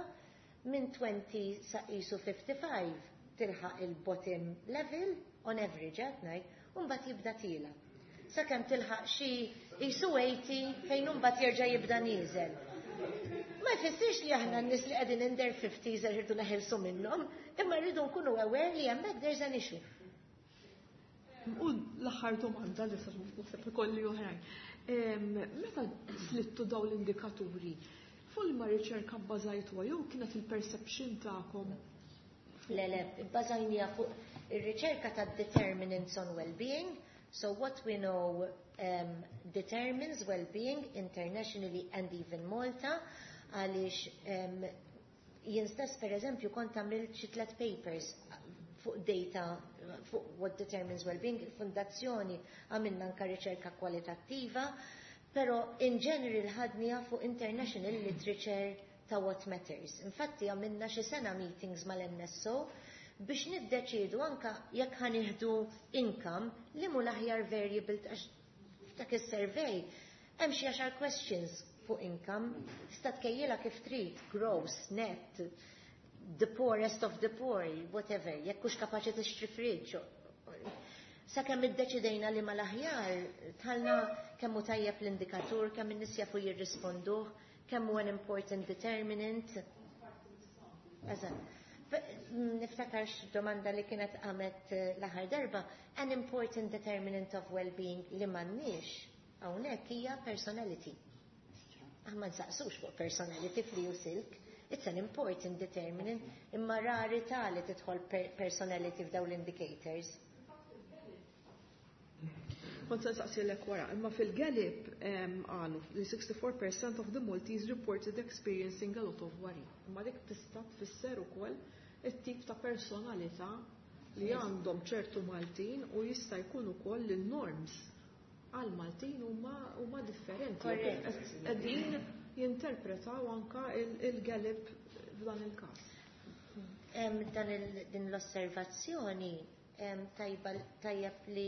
minn għoxrin sa qisu ħamsa u ħamsin tilħaq il-bottom level, on average qed ngħid, u mbagħad jibda tiela'. Sakemm tilħaq xi qisu tmenin fejn mbagħad jerġa' jibda nieżel. Ma jfissirx li aħna n-nies li qegħdin in their fifties rridu neħilsu minnhom, imma rridu nkunu aware li hemmhekk there's an issue. U l-aħħar domanda li sa naħseb ikolli oħrajn. Em, Meta slittu daw l-indikaturi, fuq ma riċerka bbażajtuha jew kienet il-perception tagħkom? Le, le, bbażajnieha fuq ir-riċerka ta' determinants on well-being. So what we know um, determines well-being internationally and even Malta, għaliex um, jien stess, per eżempju, kont għamilt xi tliet papers fuq data fuq what determines well-being, il-fondazzjoni għamilna anka riċerka kwalitattiva, pero in general ħadnieha fuq international literature ta' what matters. Infatti għamilna xi sena meetings mal-N S O biex niddeċidu anka jekk ħa nieħdu income li mu l-aħjar variable, għax f'dak is-survey hemm xi għaxar questions fuq income, tista' tkejjilha kif trid, gross, net, the poorest of the poor, whatever, jekk hux kapaċi tixtri fridge. Sakemm iddeċidejna li mal-aħjar talna kemm hu tajjeb l-indikatur, kemm in-nies jafu jirrisponduh, kemm hu an important determinant. Eżatt. Niftakar domanda li kienet għamet eh, l-aħħar darba, an important determinant of well-being li m'għandniex hawnhekk hija personality. Aħna ma nsaqsux fuq personality fl-EU-SILC. It's an important determinant, imma rari ta' li tidħol personality f'daw l-indicators. Kont se nsaqsilek wara, imma fil-Gallup qalu li sixty-four percent of the Maltese reported experiencing a lot of worry. Imma dik tista' tfisser ukoll it-tip ta' personalità li għandhom ċertu Maltin u jista' jkun ukoll li norms għal Maltin huma differenti. Qegħdin jinterpretaw anka il-Gallup f'dan il-każ. Dan din l-osservazzjoni tajjeb li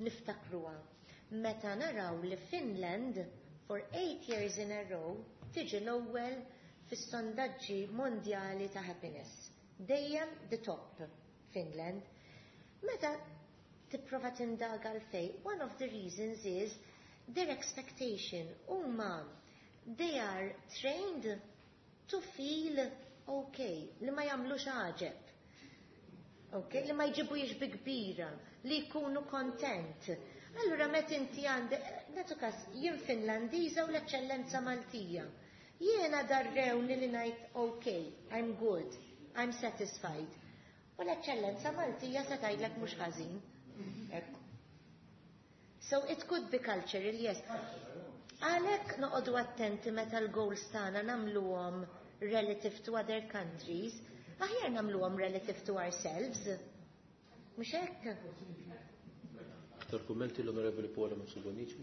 niftakruha. Meta naraw li Finland for eight years in a row tiġi l-ewwel fis-sondaġġi mondjali ta' happiness. Dejjem the top, Finland. Meta tipprova tindaga l-fej, one of the reasons is their expectation. Huma they are trained to feel okay, li ma jagħmlux għaġeb. Okay, li ma jġibu bi kbira, li jkunu content. Allura met inti għandek, nagħtu każ, jien Finlandiża u l-eċċellenza Maltija. Jiena darrewni li ngħid okay, I'm good, I'm satisfied. U l-eċċellenza Maltija se tgħidlek mhux ħażin. So it could be cultural, yes. Għalhekk noqogħdu attenti meta l-goals tagħna nagħmluhom relative to other countries, aħjar nagħmluhom relative to ourselves. Mhux hekk? Aktar kummenti, l-Onorevoli Paola Mifsud Bonnici.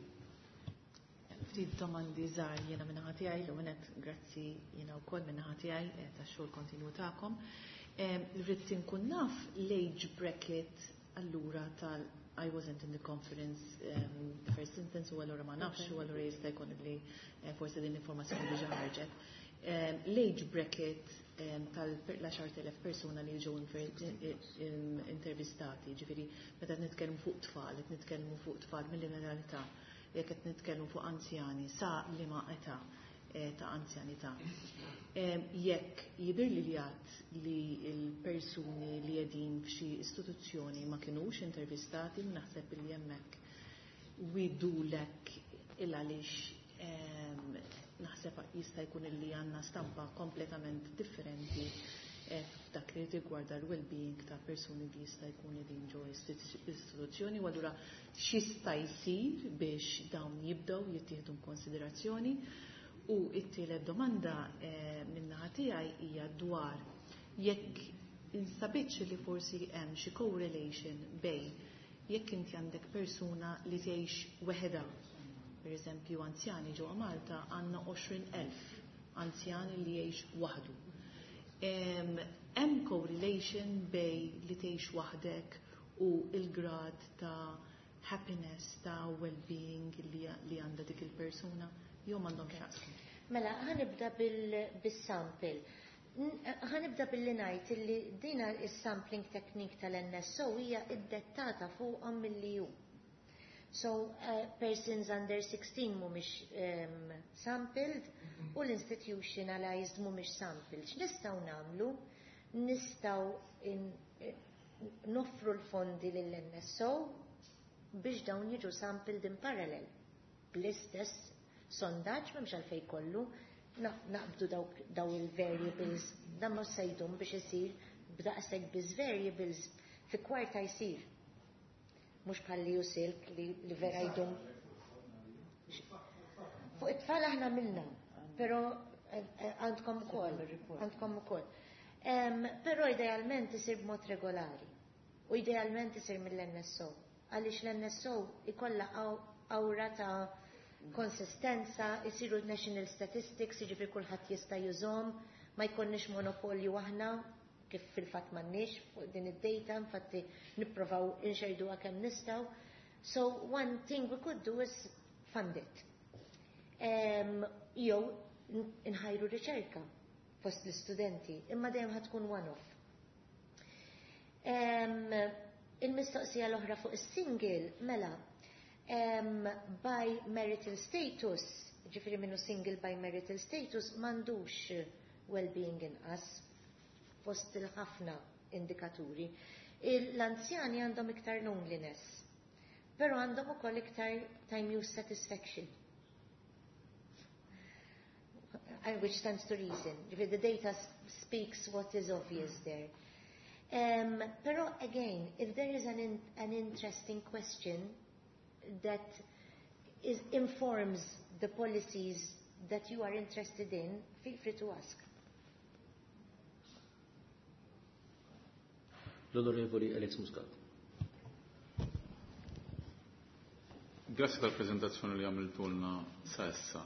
Ftit domandi żgħar jiena min-naħa tiegħi. L-ewwel, grazzi jiena wkoll min-naħa tiegħi eh, tax-xogħol kontinwu tagħkom. Rrid inkun naf l-age bracket allura tal I wasn't in the conference um, the first instance, u allura ma nafx, u allura jista' jkun li eh, forsi din l-informazzjoni diġà ħarġet. L-age bracket tal-għaxart elef persuna li ġew intervistati, ġifieri meta nitkellmu fuq tfal, qed nitkellmu fuq tfal mill-età, jekk qed nitkellmu fuq anzjani, sa liema età eh, ta' anzjanità. Jekk jidher li għad li l-persuni li qegħdin f'xi istituzzjoni ma kinux intervistati, naħseb li hemmhekk we do lack, il għaliex naħseb jista' jkun illi għandna stampa kompletament differenti eh, f'dak li rigwarda l-well-being ta' persuni li jista' jkun qegħdin ġo istituzzjoni, u allura x'jista' jsir biex dawn jibdew jittieħdu konsiderazzjoni. U it-tielet domanda eh, min-naħa tiegħi hija dwar jekk instabitx li forsi hemm xi correlation bejn jekk inti għandek persuna li tgħix weħeda. Per eżempju, anzjani ġewwa Malta għandna għoxrin elf anzjani li jgħix waħdu. Hemm correlation bejn li tgħix waħdek u il-grad ta' happiness, ta' well-being li, li għandha dik il-persuna, jew m'għandhom x'jaqsmu? Mela, ħa nibda bil-sample. Ħa nibda billi ngħid illi dina is-sampling technique tal-N S O hija iddettata fuqhom mill-E U. So, uh, persons under sixteen mhumiex um, sampled u l-institutionalized mhumiex sampled. X'nistgħu nagħmlu? Nistgħu eh, noffru l-fondi lill-N S O biex dawn jiġu sampled in parallel. Bl-istess sondaġġ, m'hemmx għalfejn kollu, naqbdu daw il-variables, dan ma se jdum biex isir, b'daqshekk biss variables fi kwarta jsir. Mhux bħal li EU-SILC li, li vera jdum. Fuq it-tfal aħna minna, pero eh, eh, għandkom ukoll, għandkom ukoll. Però idealment isir b'mod regolari u idealment isir mill-N S O. Għaliex l-N S O ikolla awra ta' konsistenza, isiru national statistics, jiġifieri kulħadd jista' jużahom, ma jkollniex monopolju aħna, kif fil-fatt m'għandniex fuq din id-data, infatti nipprovaw inxerduha kemm nistgħu. So one thing we could do is fund it. Um, jew nħajru riċerka fost l-istudenti, imma dejjem ħa tkun one-off. Um, il-mistoqsija l-oħra fuq is-single, mela, um, by marital status, ġifieri minnu single by marital status, m'għandux well-being inqas fost il-ħafna indikaturi. L-anzjani għandhom iktar loneliness, pero għandhom ukoll iktar time use satisfaction. Which stands to reason. The data speaks what is obvious there. Um, pero again, if there is an, in, an interesting question that is, informs the policies that you are interested in, feel free to ask. L-Onorevoli Alex Muscat. Grazzi tal-prezentazzjoni li għamiltulna sa issa.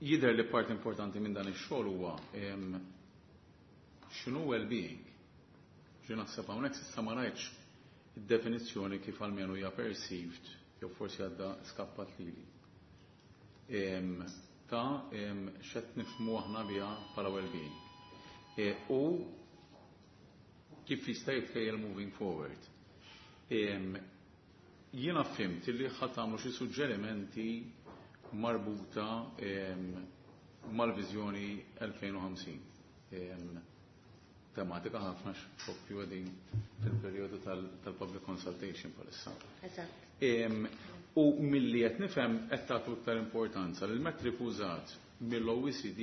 Jidher li part importanti minn dan ix-xogħol huwa x'inhu well-being. Ġi naħseb hawnhekk s'issa ma rajtx id-definizzjoni kif almenu hija perceived, jew forsi għadda skappat lili. Ta' x'qed nifhmu aħna biha bħala well-being. E, u kif jista' jitkejjel moving forward. Jiena fhimt li ħa tagħmlu xi suġġerimenti marbuta mal-viżjoni elfejn u ħamsin. Tematika ħafna, x'proprju qegħdin fil-perjodu tal-public consultation bħalissa. U milli qed nifhem, qed tagħtu iktar importanza lil metric użat mill-O E C D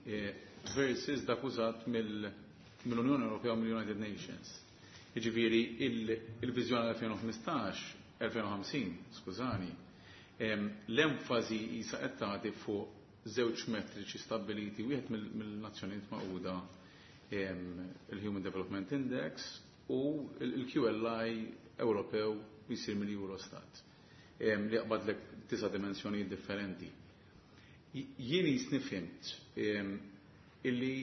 eh, versus dak użat mill-Unjoni Ewropea u mill-United Nations. Jiġifieri il-viżjoni elfejn u ħmistax, elfejn u ħamsin, skużani, l-enfasi jisa qed tagħti fuq żewġ metriċi stabbiliti, wieħed mill-Nazzjonijiet Magħquda, il-Human Development Index, u il-Q L I Ewropew jisir mill-Eurostat. li jaqbadlek tisa' dimensjonijiet differenti. Jien jisni fhimt illi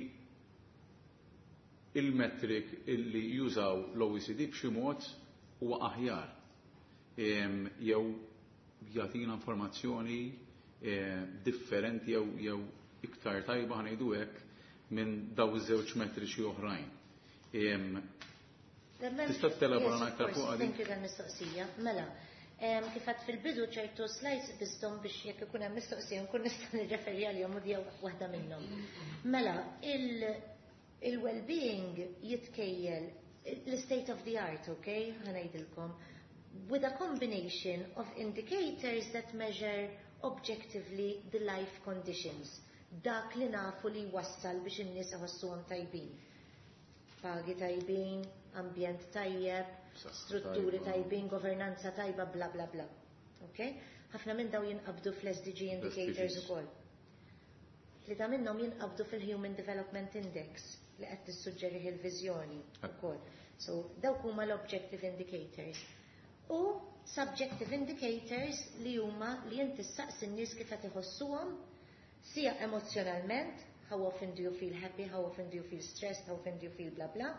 il-metric illi jużaw l-O E C D b'xi mod huwa aħjar jew jagħtina informazzjoni differenti jew jew iktar tajba, ħa ngħidu hekk, minn daw iż-żewġ metriċi oħrajn. Tista' telabora aktar fuq għadi? Thank you tal-mistoqsija. Mela, kif għedt fil-bidu, ċertu slides bizdom biex jekk ikun hemm mistoqsija nkun nista' nirreferi għalihom, u jew waħda minnhom. Mela, il-well-being jitkejjel l-state of the art, okay, ħa ngħidilkom, with a combination of indicators that measure objectively the life conditions. Dak li nafu li wassal biex in-nies iħossuhom tajbin. Pagi tajbin, ambjent tajjeb, strutturi tajbin, governanza tajba, bla bla bla. Okay? Ħafna minn daw jinqabdu fl-S D G indicators ukoll. Tlieta minnhom jinqabdu fil-Human Development Index li qed tissuġġeri il-viżjoni ukoll. So dawk huma l-objective indicators. U subjective indicators li huma li inti ssaqsi n-nies kif qed iħossuhom sija emozjonalment, how often do you feel happy, how often do you feel stressed, how often do you feel bla bla,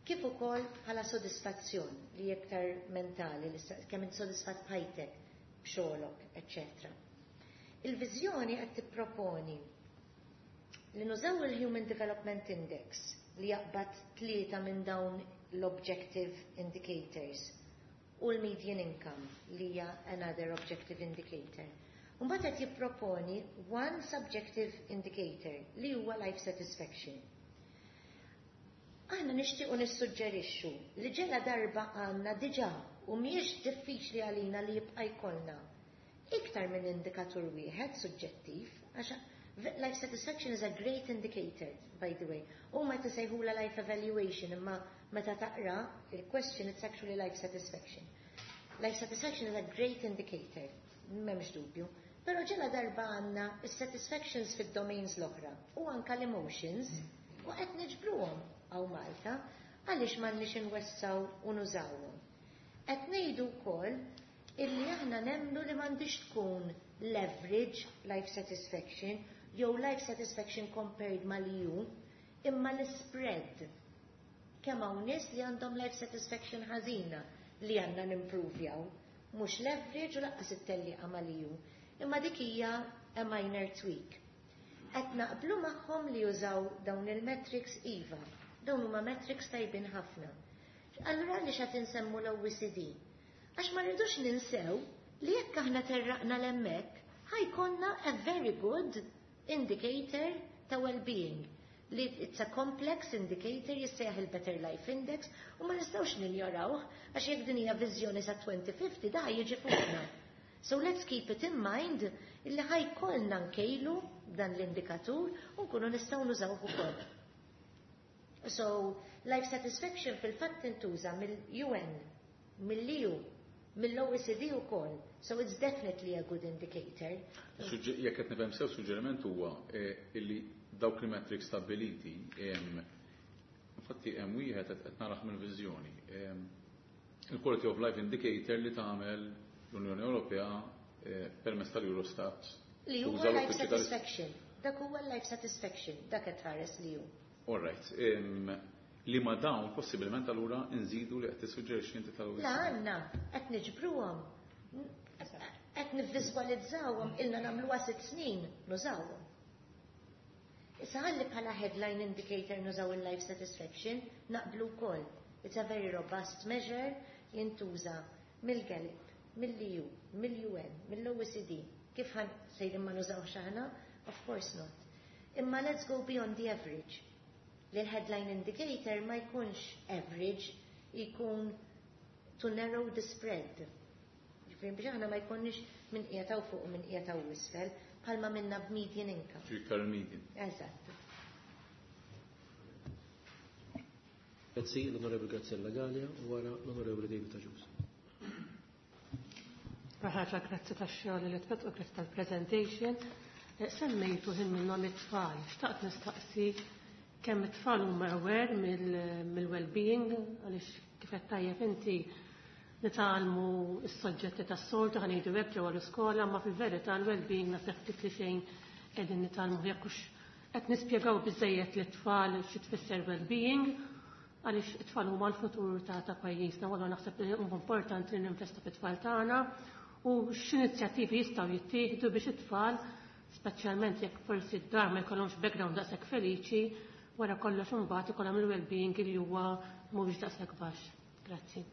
kif ukoll bħala sodisfazzjon li iktar mentali, li kemm int sodisfatt b'ħajtek, b'xogħlok, eċċetera. Il-viżjoni qed tipproponi li nużaw il-Human Development Index li jaqbad tlieta minn dawn l-objective indicators u l-median income li hija another objective indicator. Mbagħad qed jipproponi one subjective indicator li huwa life satisfaction. Aħna nixtiequ nissuġġerixxu li ġela darba għandna diġà u mhijiex diffiċli għalina li jibqa' jkollna iktar minn indikatur wieħed suġġettiv, għax life satisfaction is a great indicator, by the way. U ma tisejħula life evaluation, imma meta taqra il-question, it's actually life satisfaction. Life satisfaction is a great indicator, m'hemmx dubju. Però ġela darba għandna is-satisfactions fid-domains l-oħra u anka l-emotions u qed niġbruhom hawn Malta, għaliex m'għandniex inwessaw u nużawhom? Qed ngħidu wkoll illi aħna nemmnu li m'għandix tkun leverage life satisfaction jew life satisfaction compared mal-E U, imma l-spread. Kemm hawn nies li għandhom life satisfaction ħażina li għandna nimprovjaw, mhux leverage u lanqas it-tellieqa mal-E U. Imma dik hija a minor tweak. Qed naqblu magħhom li jużaw dawn il-metrics, iva. Dawn huma metrics tajbin ħafna. Allura għaliex qed insemmu l-O E C D? Għax ma rridux ninsew li jekk aħna terraqna 'l hemmhekk, ħa jkollna a very good indicator ta' well-being li it's a complex indicator jissejjaħ il-Better Life Index u ma nistgħux ninjorawh, għax jekk din hija viżjoni sa elfejn u ħamsin, da jiġi fuqna. So let's keep it in mind illi ħa jkollna nkejlu dan l-indikatur u nkunu nistgħu nużawh ukoll. So, life satisfaction fil-fatt tintuża mill-U N, mill-E U, mill-O E C D ukoll. So it's definitely a good indicator. Jekk qed nifhem sew, suġġeriment huwa eh, illi dawk il-metrics stabiliti, infatti hemm wieħed qed narah mill-viżjoni. Il-Quality of Life Indicator li tagħmel l-Unjoni Ewropea eh, permezz tal-Eurostat. Li huwa life satisfaction. Dak huwa life satisfaction, dak qed tħares li hu. All right. Li ma dawn possibilment allura nżidu li qed tissuġġerixxi inti tal La għandna qed niġbruhom. Qed nivviżwalizzawhom, ilna nagħmluha sitt snin nużawhom. Issa ħalli bħala headline indicator nużaw il-life satisfaction, naqblu wkoll. It's a very robust measure, jintuża mill-Gallup, mill-E U, mill-U N, mill-O E C D. Kif ħa sejrin ma nużawx aħna? Of course not. Imma let's go beyond the average. Li l-headline indicator ma jkunx average, jkun to narrow the spread. Ġifieri biex aħna ma jkunx minn qiegħed fuq u minn qiegħed isfel, bħalma minna b'median income. Iktar median. Eżatt. Grazzi, l-Onorevoli Graziella Galea u wara l-Onorevoli David Agius. Ħaġa, grazzi tax-xogħol li twettqu, grazzi tal-presentation. Eh, semmejtu ħin minnhom it-tfal. Xtaqt nistaqsi kemm it-tfal huma aware mill-well-being, għaliex kif qed tajjeb inti Nitgħallmu s-soġġetti tas-soltu, ħa ngħidu hekk, ġewwa l-iskola, ma fil-verità l-well-being naħseb ftit li xejn qegħdin nitgħallmu, jekk hux qed nispjegaw biżejjed lit-tfal xi tfisser well-being, għaliex it-tfal huma l-futur ta' ta' pajjiżna, u allura naħseb li huwa importanti li ninvestu fit-tfal tagħna u x'inizjattivi jistgħu jittieħdu biex it-tfal, speċjalment jekk forsi d-dar ma jkollhomx background daqshekk feliċi, wara kollox imbagħad ikollhom il-well-being li huwa mhuwiex daqshekk baxx. Grazzi.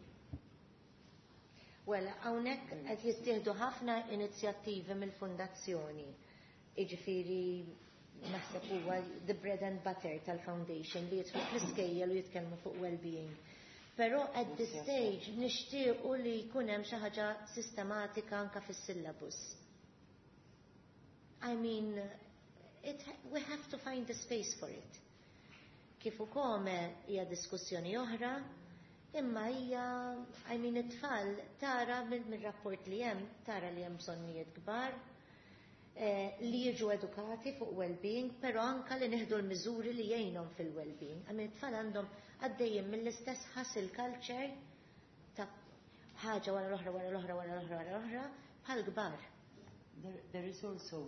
Well, hawnhekk qed jittieħdu ħafna inizjattivi mill-fundazzjoni. Jiġifieri naħseb huwa the bread and butter tal-foundation li jidħlu fl-iskejjel u jitkellmu fuq well-being. Però at this stage nixtiequ li jkun hemm xi ħaġa sistematika anka fis-syllabus. I mean, it, we have to find a space for it. Kif ukoll hija diskussjoni oħra, imma hija, I mean, it-tfal tara mill-rapport li hemm, tara li hemm bżonnijiet kbar, eh, li jiġu edukati fuq well-being, però anka li nieħdu l-miżuri li jgħinhom fil-well-being. I mean, it-tfal għandhom għaddejjin mill-istess hustle culture ta' ħaġa wara l-oħra, wara l-oħra, wara l-oħra, wara l-oħra, bħal kbar. There, there is also,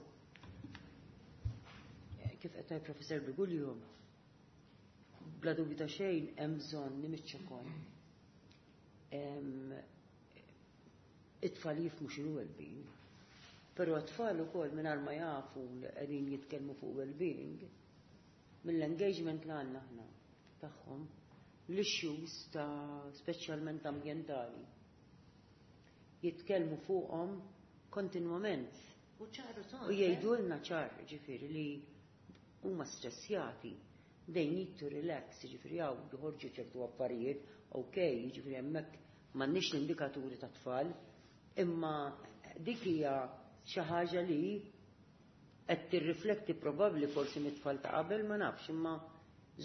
kif qed tgħid Professor Briguglio, bla dubju ta' xejn hemm bżonn nimiċċa. It-tfal jifhmu x'inhu well-being. Però t-tfal ukoll mingħajr ma jafu li qegħdin jitkellmu fuq well-being, mill-engagement li għandna aħna tagħhom, l-issues ta' speċjalment ambjentali jitkellmu fuqhom kontinwament. U ċaru U jgħidulna ċar, ġifieri, li huma stressjati. They need to relax, ġifieri hawn joħorġu ċertu affarijiet, ok, ġifieri hemmhekk m'għandniex l-indikaturi ta' tfal, imma dik hija xi ħaġa li qed tirrifletti probabbli forsi mit-tfal ta' qabel, ma nafx, imma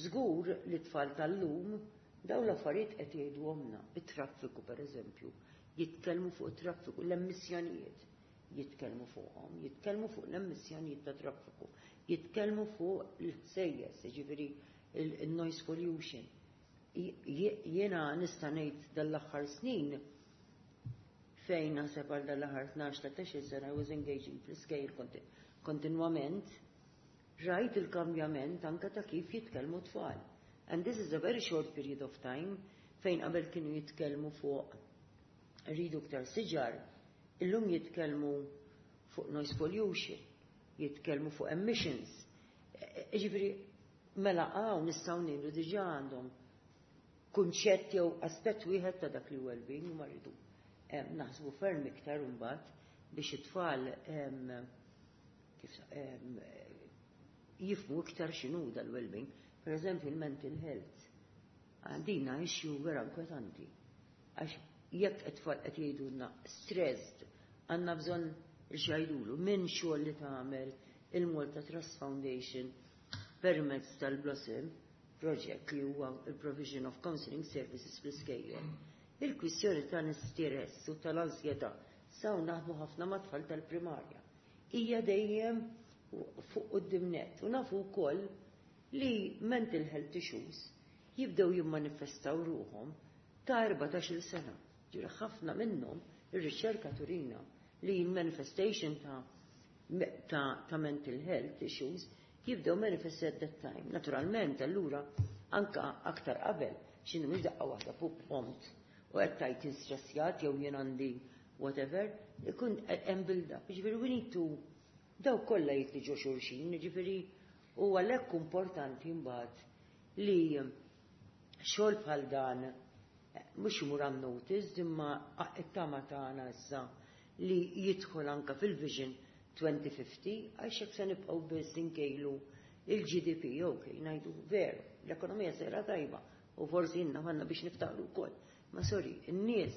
żgur li tfal tal-lum dawn l-affarijiet qed jgħiduhomna. It-traffiku pereżempju, jitkellmu fuq it-traffiku, l-emissjonijiet jitkellmu fuqhom, jitkellmu fuq l-emissjonijiet ta' traffiku, jitkellmu fuq l-ħsejjes, ġifieri il-noise pollution. Jiena nista' ngħid dal-aħħar snin fejn naħseb għal dal-aħħar tnax tlettax-il sena I was engaging fl-iskejjel kontinwament, rajt il-kambjament anka ta' kif jitkellmu tfal. And this is a very short period of time fejn qabel kienu jitkellmu fuq rridu iktar siġar, illum jitkellmu fuq noise pollution, jitkellmu fuq emissions. Ġifieri, mela hawn nistgħu ngħidu diġà għandhom kunċett jew aspett wieħed ta' dak li well-being, u ma rridu naħsbu ferm iktar imbagħad biex it-tfal kif jifhmu iktar x'inhu dal-well-being. Per eżempju, il-mental health. Għandina issue vera inkwetanti. Għax jekk it-tfal qed jgħidulna stressed, għandna bżonn x'jgħidulu minn xogħol li tagħmel il-Malta Trust Foundation permezz tal-Blossom Project, li huwa il-provision of counseling services fl-iskejjel. Il-kwistjoni tal-istress u tal-ansjetà saw naħdmu ħafna ma' tfal tal-primarja. Hija dejjem fuq quddiem nett u nafu wkoll li mental health issues jibdew jimmanifestaw ruħhom ta' erbatax-il sena. Ġifieri ħafna minnhom ir-riċerka turina li manifestation ta' ta', ta mental health issues jibdew manifest at that time. Naturalment, allura, anka aktar qabel, x'inhu mhux daqqa waħda fuq prompt u qed tajt stressjat jew jien għandi whatever, ikun hemm build up. Ġifieri we need to daw kollha jitli ġo xulxin, ġifieri u għalhekk importanti mbagħad li xogħol bħal dan mhux imur unnoticed, imma it-tama tagħna issa li jidħol anka fil-Vision twenty fifty, għax hekk se nibqgħu biss inkejlu il-G D P, ok, ngħidu veru, l-ekonomija sejra tajba u forsi inna għandna biex niftaħru wkoll. Ma sorry, in-nies,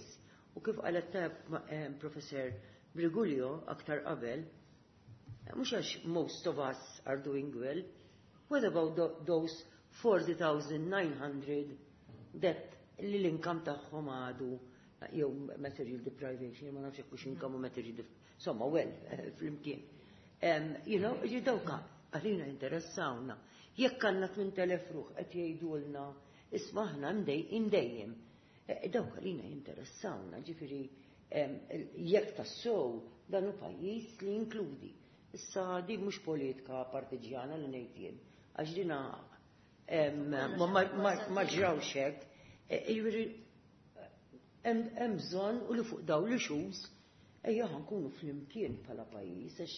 u kif qalet tajb eh, Professor Briguglio aktar qabel, mhux għax most of us are doing well, what about those forty thousand nine hundred that li l-income tagħhom għadu jew material deprivation, ma nafx hekk income u material, insomma, well, flimkien. You know, ġi dawka għalina interessawna. Jekk għandna tmien elef ruħ qed jgħidulna isma' aħna imdejjem. Dawk għalina jinteressawna, ġifieri jekk tassew dan hu pajjiż li jinkludi. Issa di mhux politika partiġjana li ngħid jien, għax dina ma ġrawx hekk. Jiġifieri hemm bżonn u li fuq dawn l-issues ejja ħankunu flimkien bħala pajjiż, għax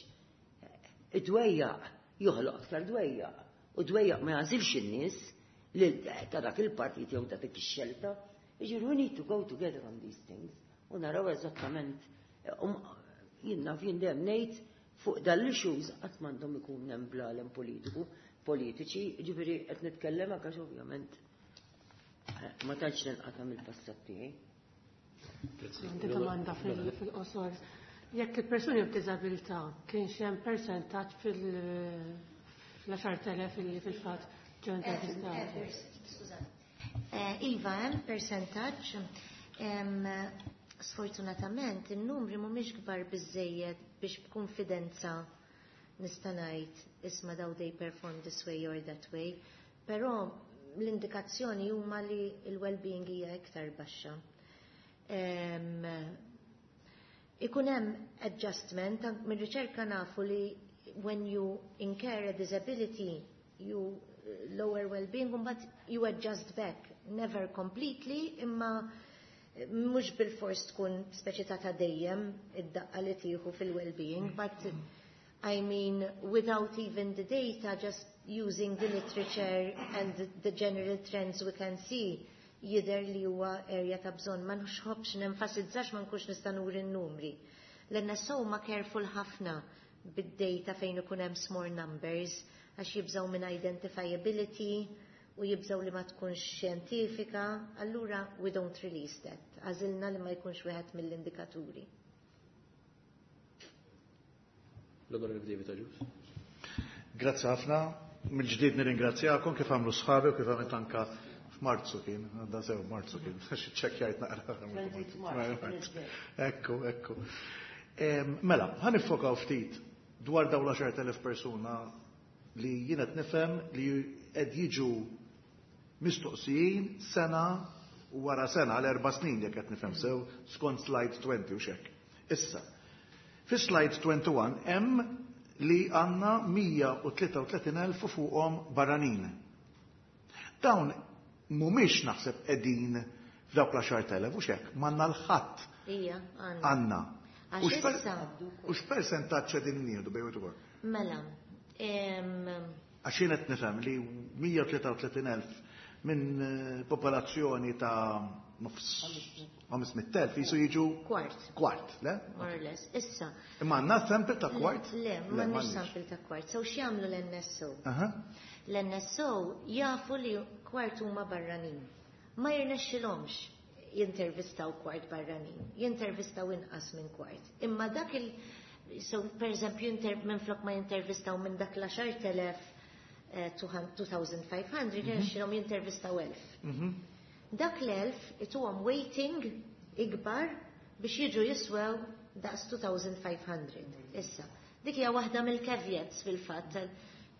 id-dwejjaq joħloq aktar dwejjaq, u dwejjaq ma jagħżilx in-nies li ta' dak il-partit jew ta' dik ix-xelta. Jiġifieri we need to go together on these things u naraw eżattament, jien naf jien dejjem ngħid fuq dal-issues qatt m'għandhom ikun hemm blalem politiku, politiċi, jiġifieri qed nitkellem għax ovvjament ma tantx ninqata' mill-passat tiegħi. Għandi domanda fil-qosor. Jekk il-persuni b'diżabilità kienx hemm persentaġġ fil-għaxar telef li fil-fatt ġew intervistati? Iva, hemm persentaġġ. Sfortunatament in-numri mhumiex kbar biżejjed biex b'konfidenza nista' ngħid isma' daw they perform this way or that way, però l-indikazzjoni huma li l-well-being hija iktar baxxa. Ikun hemm adjustment, mir-riċerka nafu li when you incur a disability, you lower well-being, but you adjust back, never completely, imma mhux bil-fors tkun speċi ta' ta' dejjem id-daqqa li tieħu fil-well-being, but I mean, without even the data, just using the literature and the, the general trends we can see, jidher li huwa area ta' bżonn. Ma nħobbx nenfasizzax ma nkunx nista' nuri n-numri. L-N S O ma careful ħafna bid-data fejn ikun hemm small numbers, għax jibżaw minn identifiability u jibżaw li ma tkunx xjentifika, allura we don't release that. Għażilna li ma jkunx wieħed mill-indikaturi. L-Onorevoli David Agius. Grazzi ħafna. Mill-ġdid nirringrazzjakom kif għamlu sħabi u kif għamilt anka f'Marzu kien, għadda sew Marzu kien, ċekkjajt naqra. Ekku, ekku. Mela, ħa niffokaw ftit dwar dawn l-għaxart elef persuna li jien qed nifhem li qed jiġu mistoqsijin sena wara sena għal erba' snin, jekk qed nifhem sew skont slide twenty u xek. Issa, fi slide twenty-one hemm li għandna mija u tlieta u tletin elf fuqhom barranin. Dawn mhumiex naħseb qegħdin f'dawk l-għaxart elef u xek, m'għandna l-ħadd. Ija, għandna. Għandna. Għax issa. U x'persentaġġ qegħdin nieħdu bejn wieħed? Mela. Għax jien qed nifhem li mija u tlieta u tletin elf minn eh, popolazzjoni ta' nofs ħames mitt elf jisu jiġu Kwart. Kwart, le? More or less. Issa. Imma għandna sample ta' kwart? Le, m'għandniex sample ta' kwart. So x'jagħmlu l-N S O? Aha. L-N S O jafu li kwart huma barranin. Ma jirnexxilhomx jintervistaw kwart barranin, jintervistaw inqas minn kwart. Imma dak il- So, per eżempju, minn flok ma jintervistaw minn dak l-għaxart elef two thousand five hundred, jirnexxilhom jintervistaw elf. Mhm. Dak l-elf ituhom weighting ikbar biex jiġu jiswew daqs two thousand five hundred. Issa, dik hija waħda mill-caveats fil-fatt.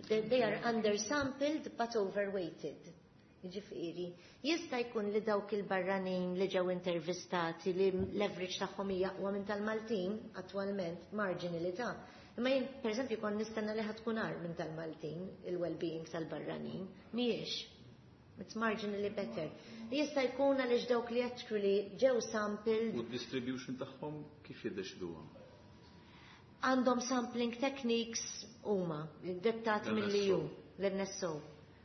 They they are undersampled but overweighted. Ġifieri, jista' jkun li dawk il-barranin li ġew intervistati li l-average tagħhom hija aqwa minn tal-Maltin attwalment, marginally ta'. Imma jien, per eżempju, kon nistenna li ħatkun agħar minn tal-Maltin, il-well-being tal-barranin, mhijiex. It's marginally better. Jista' jkun għaliex dawk li actually ġew sampled U d-distribution tagħhom kif jiddeċiduha? Għandhom sampling techniques huma dettati mill-E U, l-N S O.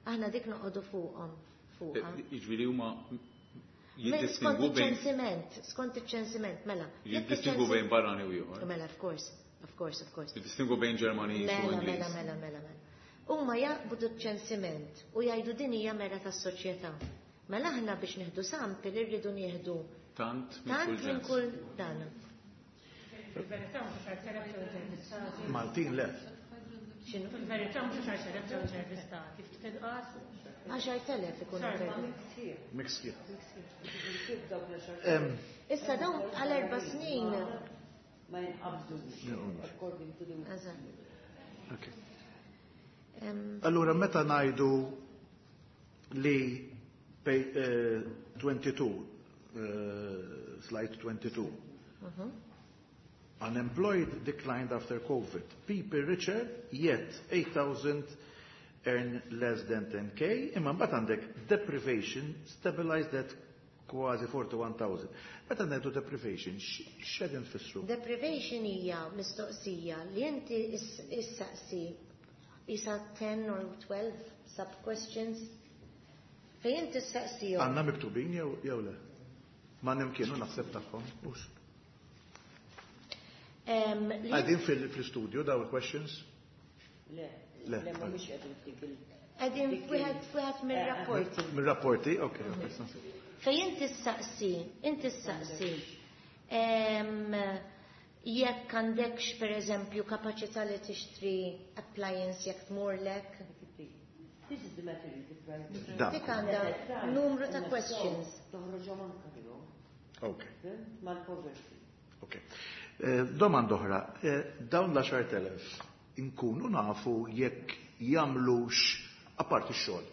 Aħna dik noqogħdu fuqhom fuqha. Jiġifieri huma Skont jiddistingu bejn iċ-ċensiment, skont iċ-ċensiment, mela. Jekk jiddistingu iċ-ċensi- bejn barrani u ieħor. Mela, of course, of course, of course. Jiddistingu bejn Ġermaniż u Mela, mela, Ingliż. mela, mela, mela. Huma jaqbdu ċ-ċensiment u jgħidu din hija mera tas-soċjetà. Mela aħna biex nieħdu sample irridu nieħdu Tant minn tant kull minn ġens. kull dan. Fil-verità mhux għaxart elef ġew intervistati. Maltin le. X'inhu? Fil-verità mhux għaxart elef ġew intervistati. Ftit inqas. Għaxart elef ikunu Sorry. intervistati. Mixed. Em, Issa dawn għal erba' snin. Ma jinqabdux. According to the Eżatt. Okay. Em, Allura, meta ngħidu li pej, eh, twenty-two uh, slide twenty-two. Mm-hmm. Unemployed declined after COVID. People richer, yet eight thousand earn less than ten K. Imma mbagħad għandek deprivation stabilized at kważi forty-one thousand. Meta ngħidu deprivation, x'qegħdin tfissru? Deprivation hija mistoqsija li inti issaqsi isa ten or twelve sub questions fejn inti issaqsihom. Għandna miktubin jew jew le? Ma nimkienu naħseb tagħhom, hux. Għadin fil-studio daw il-questions? Le, le, mhumiex qegħdin f'dik il- Qegħdin f'wieħed mir-rapporti. Mir-rapporti, okej. Fejn inti ssaqsi, inti ssaqsi jekk għandekx pereżempju kapaċità li tixtri appliance jekk tmurlek. This is the material deprived. Dik għandha numru ta' questions. Toħroġhom anke fihom. Ok. Mal-poverty. Ok. Domanda oħra, dawn l-għaxar elef inkunu nafu jekk jagħmlux apparti x-xogħol.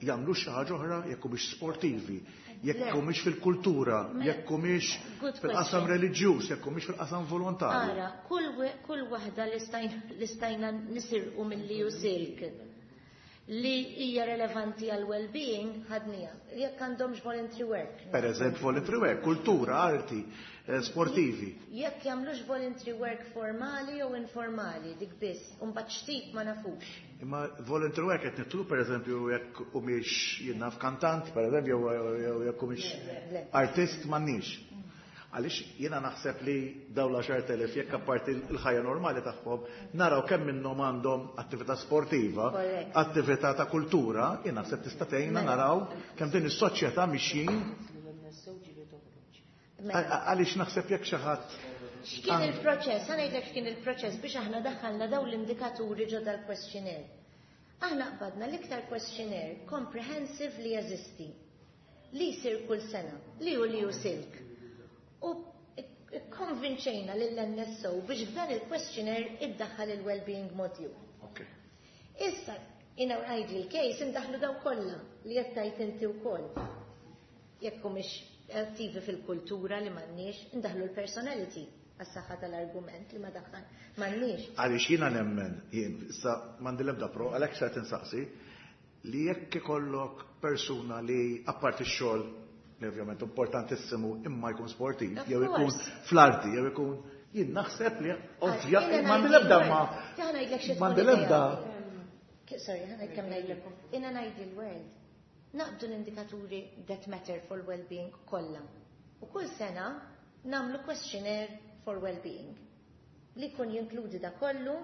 Jagħmlu xi ħaġa oħra jekk humiex sportivi, jekk humiex fil-kultura, jekk humiex fil-qasam reliġjuż, jekk humiex fil-qasam volontarju. Ara, kull waħda li stajna nisirqu mill-E U Silk li hija relevanti għal well-being ħadnija. Jekk għandhomx voluntary work. Per eżempju, voluntary work, kultura, arti, sportivi. Jekk jagħmlux voluntary work formali jew informali, dik biss, u mbagħad xtip ma nafux. Imma voluntary work qed nitlu pereżempju jekk humiex jien naf kantant, pereżempju, jew jekk humiex artist m'għandniex. Għaliex jiena naħseb li dawn l-għaxar elef jekk apparti l-ħajja normali tagħhom naraw kemm minnhom għandhom attività sportiva, attività ta' kultura, jien naħseb tista' tgħinna naraw kemm din is-soċjetà mixjin. Għaliex naħseb jekk xi ħadd. X'kien il-proċess? Ħa ngħidlek x'kien il-proċess biex aħna daħħalna dawn l-indikaturi ġo dal-questionnaire. Aħna qbadna l-iktar questionnaire comprehensive li jeżisti, li jsir kull sena, li hu li hu Silk. U konvinċejna lill-N S O biex f'dan il-questionnaire iddaħħal il-well-being module. Issa, in our ideal case, indaħlu daw kollha li qed tgħid inti wkoll. Jekk humiex attivi fil-kultura li m'għandniex, indaħlu l-personality għas-saħħa tal-argument li ma daħħal m'għandniex. Għaliex jiena nemmen, jien issa m'għandi l-ebda pro, għalhekk se tinsaqsi, li jekk ikollok persuna li apparti x-xogħol, li ovvjament importantissimu, imma jkun sportiv, jew ikun fl-arti, jew ikun, jien naħseb li ovvja, m'għandi l-ebda ma. M'għandi l-ebda. Sorry, ħa ngħid kemm ngħidlek. In an ideal world, naqbdu l-indikaturi that matter for well-being kollha. U kull sena nagħmlu questionnaire for well-being. Li jkun jinkludi da kollu,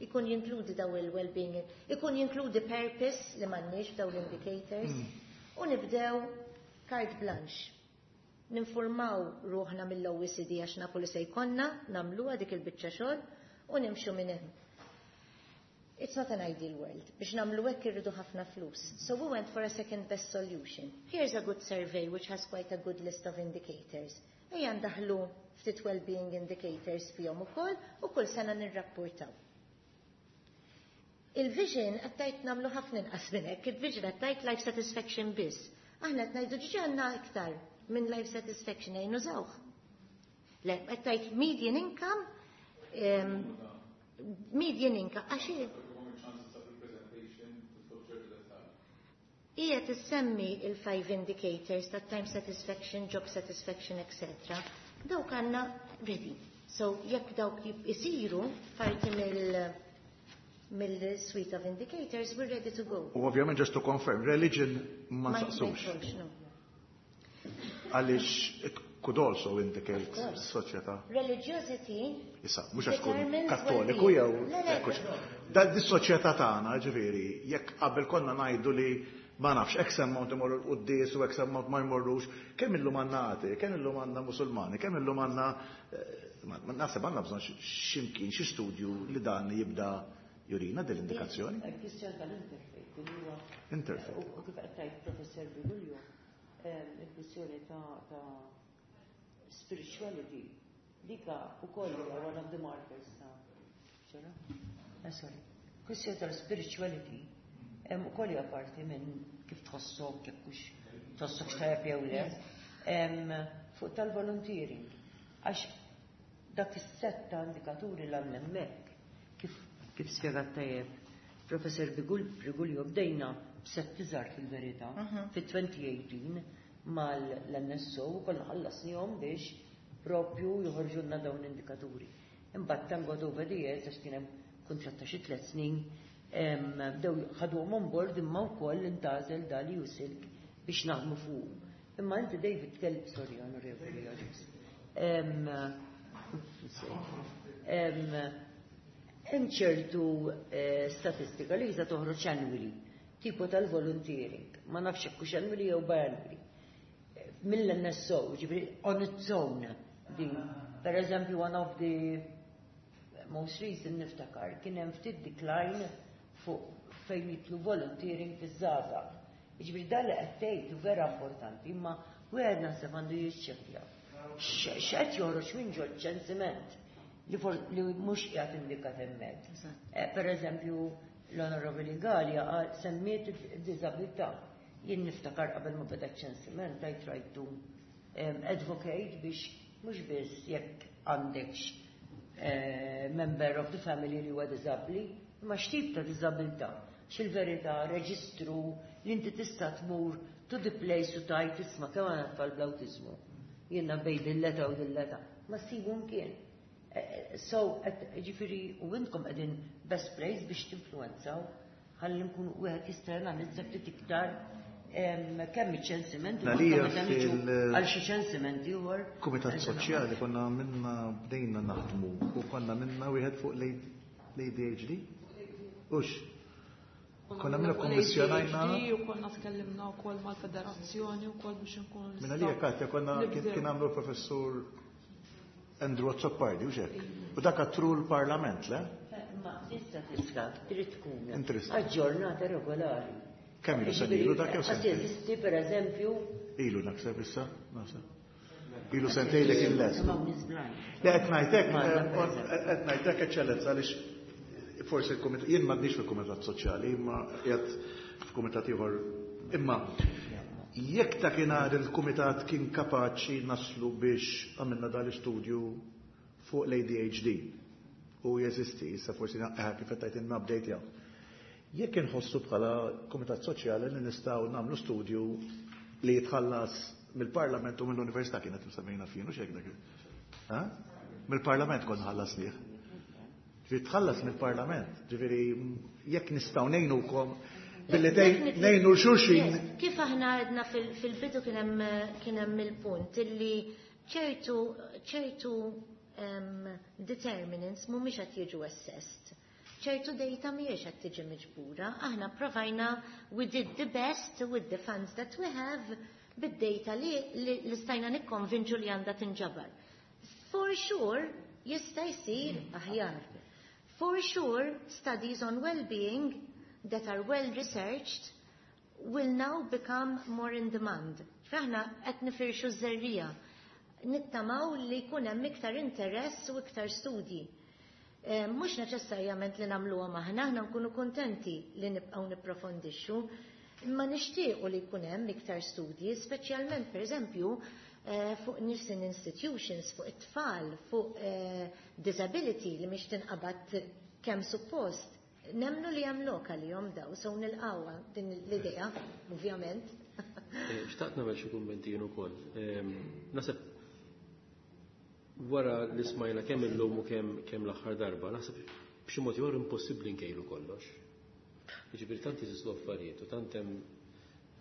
jkun jinkludi daw il-well-being, ikun jinkludi purpose li m'għandniex daw l-indicators, u nibdew carte blanche. Ninformaw ruħna mill-O E C D għax nafu li se jkollna, nagħmluha dik il-biċċa xogħol u nimxu minn hemm. It's not an ideal world. Biex nagħmlu hekk irridu ħafna flus. So we went for a second best solution. Here's a good survey which has quite a good list of indicators. Ejja ndaħlu ftit well-being indicators fihom ukoll u kull sena nirrapportaw. Il-vision għattajt nagħmlu ħafna inqas minn hekk, il-vision għattajt life satisfaction biss. Aħna qed ngħidu ġiġi għandna iktar minn life satisfaction ejja nużawh. Le, għattajt median income, um, median income, għax hija tissemmi il-five indicators ta' time satisfaction, job satisfaction, et cetera. Dawk għandna ready. So jekk dawk isiru parti mill mill-suite of indicators, we're ready to go. U ovvjament just to confirm, religion ma nsaqsux. Għaliex it could also indicate soċjetà. Religiosity. Issa, mhux għax tkun kattoliku jew Da dis-soċjetà tagħna, ġifieri, jekk qabel konna ngħidu li ma nafx, X amount imorru l-quddies u X amount ma jmorrux, kemm illum għandna għati, kemm illum għandna musulmani, kemm illum għandna, naħseb għandna bżonn x'imkien xi studju li dan jibda jurina dell-indikazzjoni. Il-kwistjoni tal-interfaith, li huwa Interfaith. U kif qed tgħid Professor Briguglio, il-kwistjoni ta' spirituality, dika ukoll hija one of the markers ta' eh, sorry. Kwistjoni tal-spirituality ukoll hija parti minn kif tħossok, kif hux Tħossok tajjeb jew le. Fuq tal-volunteering. Għax dak is-set ta' indikaturi l hemmhekk kif kif spjegat tajjeb Professor Briguglio, bdejna b'sett iżgħar fil-verità fit-elfejn u tmintax mal-N S O u konna ħallasnihom biex propju joħorġulna dawn l-indikaturi. Imbagħad thank God over the years, għax kien hemm kuntratt ta' xi tliet snin, bdew ħaduhom on board, imma wkoll intgħażel dal-EU-SILC biex naħdmu fuq. Imma inti, David, tkellem, sorry, Onorevoli Agius. Hemm ċertu eh, statistika li jista' toħroġ annually, tipo tal-volunteering, ma nafx hekk hux annually jew biannually. Mill-N S O, ġifieri on its own din. Per eżempju, one of the most recent niftakar, kien hemm ftit decline fuq fejn jidħlu volunteering fiż-żgħażagħ. Ġifieri dan li qed tgħid vera importanti, imma wieħed naħseb għandu jiċċekkja. X'qed joħroġ minn ġol ċensiment li li mhux qiegħed indikat hemmhekk. Eh, per eżempju, l-Onorevoli Galea semmiet id-diżabilità. Jien niftakar qabel ma beda ċensiment, I tried to um, advocate biex mhux biss jekk għandekx eh, member of the family li huwa diżabbli, imma x'tip ta' diżabilità. X'il-verità reġistru li inti tista' tmur to the place u tgħid, "Isma', kemm għandna tfal bl-awtiżmu. Jiena bejn dil-età u dil-età." Ma ssibu mkien. Eh, eh, so, ġifieri, u intkom qegħdin best place biex tinfluenzaw ħalli nkunu wieħed jista' janalizza ftit iktar kemm iċ-ċensiment u għal xi ċensiment ieħor. Kumitat Soċjali konna minna bdejna naħdmu u konna minna wieħed fuq l-A D H D. Ux, konna minna kommissjonajna. U konna tkellimna wkoll mal-federazzjoni wkoll biex nkunu Minna li Katja konna kien għamlu professur Andrew Azzopardi, u hekk. U dak għattru l-Parlament, le? Ma l-istatistika trid tkun aġġornata regolari. Kemm ilu sen ilu dak jew sentejn? Jeżisti per eżempju. Ilu naħseb issa, naħseb. Ilu sentejn li kien lest. Le, qed ngħidlek, qed ngħidlek, Eċċellenza, għaliex forsi il-kumitat, jien m'għandix fil-Kumitat Soċjali, imma qiegħed f'kumitat ieħor. Imma jekk ta' kienar il-kumitat kien kapaċi naslu biex għamilna dal-istudju fuq l-A D H D u jeżisti, issa forsi kif qed tgħid update jew. Jekk inħossu bħala Kumitat Soċjali li nistgħu nagħmlu studju li jitħallas mill-Parlament u mill-Università kienet msemmejna fien, u xek dak. Mill-Parlament konna ħallasnieh. Ġifieri tħallas mill-Parlament, ġifieri jekk nistgħu ngħinukom billi ngħinu xulxin. Kif aħna għedna fil-bidu, kien hemm il-punt illi ċertu ċertu determinants mhumiex qed jiġu assessed. Ċertu data mhijiex qed tiġi miġbura. Aħna provajna, we did the best with the funds that we have, bid-data li, li, li stajna nikkonvinċu li għandha tinġabar. For sure, jista' jsir aħjar. For sure, studies on well-being that are well researched will now become more in demand. Aħna qed nifirxu żerriegħa. Nittamaw li jkun hemm iktar interess u iktar studji. Eh, mhux neċessarjament li nagħmluhom aħna, aħna nkunu kontenti li nibqgħu nipprofondixxu, imma nixtiequ li jkun hemm iktar studji, speċjalment pereżempju eh, fuq nursing institutions, fuq it-tfal, fuq eh, disability li mhix tinqabad kemm suppost. Nemnu li hemm lokali jom daw, so nilqawha din l-idea, ovvjament. Xtaqt nagħmel xi kummenti jien ukoll. Naħseb wara li smajna kemm illum u kemm kemm l-aħħar darba, naħseb b'xi mod ieħor impossibbli nkejlu kollox. Jiġifieri tant jeżistu affarijiet u tant hemm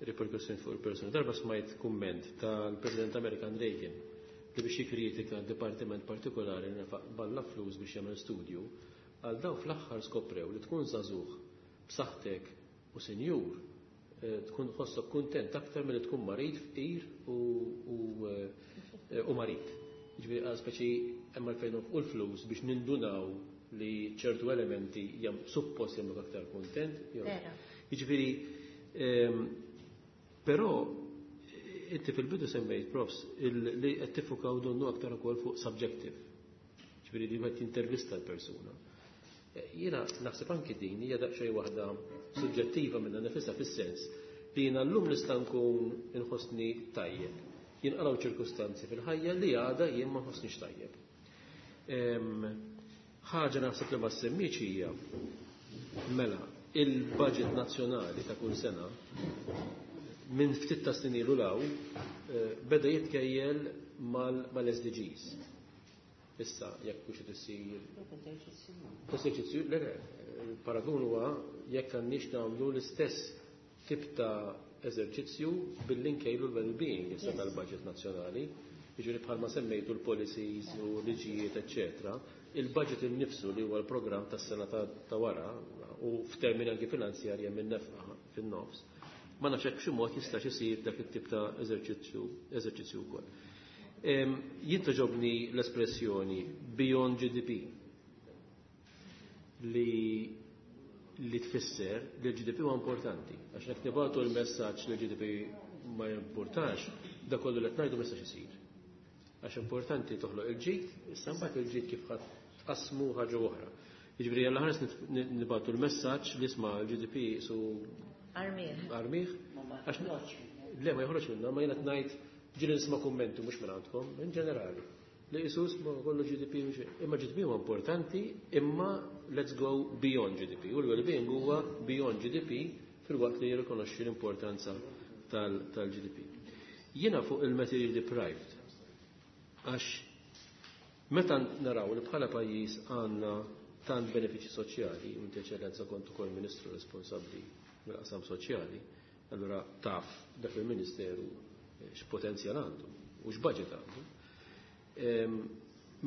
riperkussjoni fuq il-persuni. Darba smajt kumment tal-President Amerikan Reagan li biex jikkritika dipartiment partikolari li nefaq balla flus biex jagħmel studju, għal daw fl-aħħar skoprew li tkun żagħżugħ b'saħħtek u senjur eh, tkun ħossok kuntent aktar milli tkun marid, fqir u, u, eh, u marid. Ġifieri għal speċi hemm għalfejn u l-flus biex nindunaw li ċertu elementi jam suppost jagħmluk aktar kuntent. jew- Vera. Jiġifieri, ehm, però inti fil-bidu semmejt, profs, il- li qed tiffukaw donnu aktar ukoll fuq subjective. Ġifieri li qed jintervista l-persuna. Eh, Jiena naħseb anki din hija daqsxejn waħda suġġettiva minnha nifisha, fis-sens Li jiena llum nista' nkun inħossni tajjeb. Jinqalgħu ċirkustanzi fil-ħajja li għada jien ma nħossnix tajjeb. Ħaġa naħseb li ma semmiex hija mela il-budget nazzjonali ta' kull sena minn ftit ta' snin ilu law beda jitkejjel mal-S D Gs. Issa jekk hux qed issir eżerċizzju, le le, il-paragun huwa jekk għandniex nagħmlu l-istess tip ta' eżerċizzju billi nkejlu l-well-being issa tal-budget nazzjonali, jiġifieri bħalma semmejtu l-policies u liġijiet, eċċetera. Il-budget innifsu li huwa l-programm tas-sena ta' wara u f'termini anki finanzjarji minn nefqa fin-nofs, ma nafx hekk b'xi mod jistax isir dak it-tip ta' eżerċizzju eżerċizzju wkoll. Jien toġobni l-espressjoni beyond G D P li li tfisser li l-G D P huwa importanti. Għax jekk nibgħatu l-messaġġ li l-G D P ma jimportax, da kollu li qed ngħidu ma jistax isir. Għax importanti toħloq il-ġid, issa mbagħad il-ġid kif ħadd tqassmu ħaġa oħra. Jiġifieri jalla ħares nibgħatu l-messaġġ li isma' l-G D P su Armih. Armih. Għax le ma joħroġ minna, ma jiena ngħid ġieli nisma' kummenti mhux minn għandkom, in ġenerali. Li Jesus ma kollu G D P mhux, imma G D P huwa importanti, imma let's go beyond G D P. U l-well-being huwa beyond G D P fil-waqt li jirrikonoxxi l-importanza tal-G D P. Jiena fuq il-material deprived, għax meta naraw li bħala pajjiż għandna tant benefiċi soċjali, u inti eċċellenza kont ukoll ministru responsabbli mill-qasam soċjali, allura taf dak il-ministeru x'potenzjal għandu u x'budget għandu.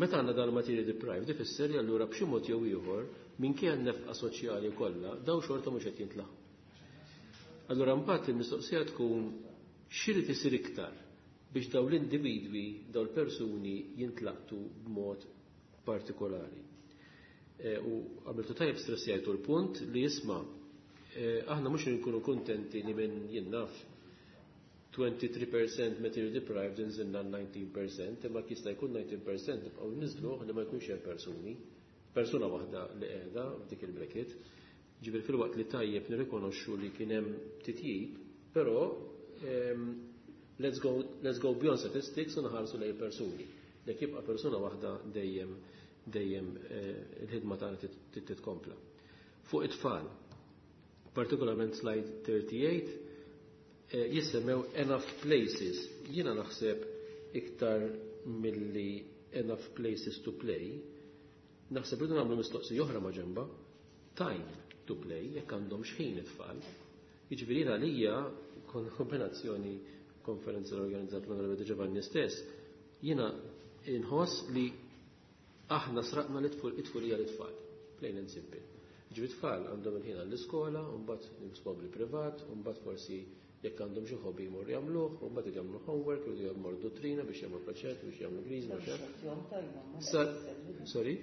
Meta għandna dan material deprived, ifisser li allura b'xi mod jew ieħor minkejja n-nefqa soċjali kollha daw xorta mhux qed jintlaħqu. Allura mbagħad il-mistoqsija tkun x'irid isir iktar biex daw l-individwi, daw l-persuni jintlaqtu b'mod partikolari. E, u għamiltu tajjeb stressjajtu l-punt li jisma' e, aħna mhux nkunu kuntenti li minn jien naf twenty-three percent material deprived inżilna nineteen percent, imma jista' jkun nineteen percent nibqgħu niżluh li ma jkunx hemm persuni, persuna waħda li qiegħda f'dik il-bracket. Ġifieri fil-waqt li tajjeb nirrikonoxxu li kien hemm titjib, però let's go, let's go beyond statistics u nħarsu lejn persuni. Jekk jibqa' persuna waħda dejjem dejjem il-ħidma tagħna titkompla. Fuq it-tfal, partikolarment slide thirty-eight, jissemmew enough places. Jiena naħseb iktar milli enough places to play, naħseb li nagħmlu mistoqsija oħra ma' ġemba, time to play, jekk għandhom x'ħin it-tfal. Jiġifieri jiena għalija kon kombinazzjoni konferenza li organizzat l-Onorevoli Giovanni stess, jiena inħoss li aħna sraqna l-itfulija l-itfal, plain and simple. Jiġifieri tfal għandhom il-ħin għall-iskola, u mbagħad nisbogli privat, u mbagħad forsi jekk għandhom xi hobby jmorru jagħmluh, u mbagħad jagħmlu homework, jridu jagħmlu dottrina biex jagħmlu proġett, biex jagħmlu griż, ma xejn. Sorry?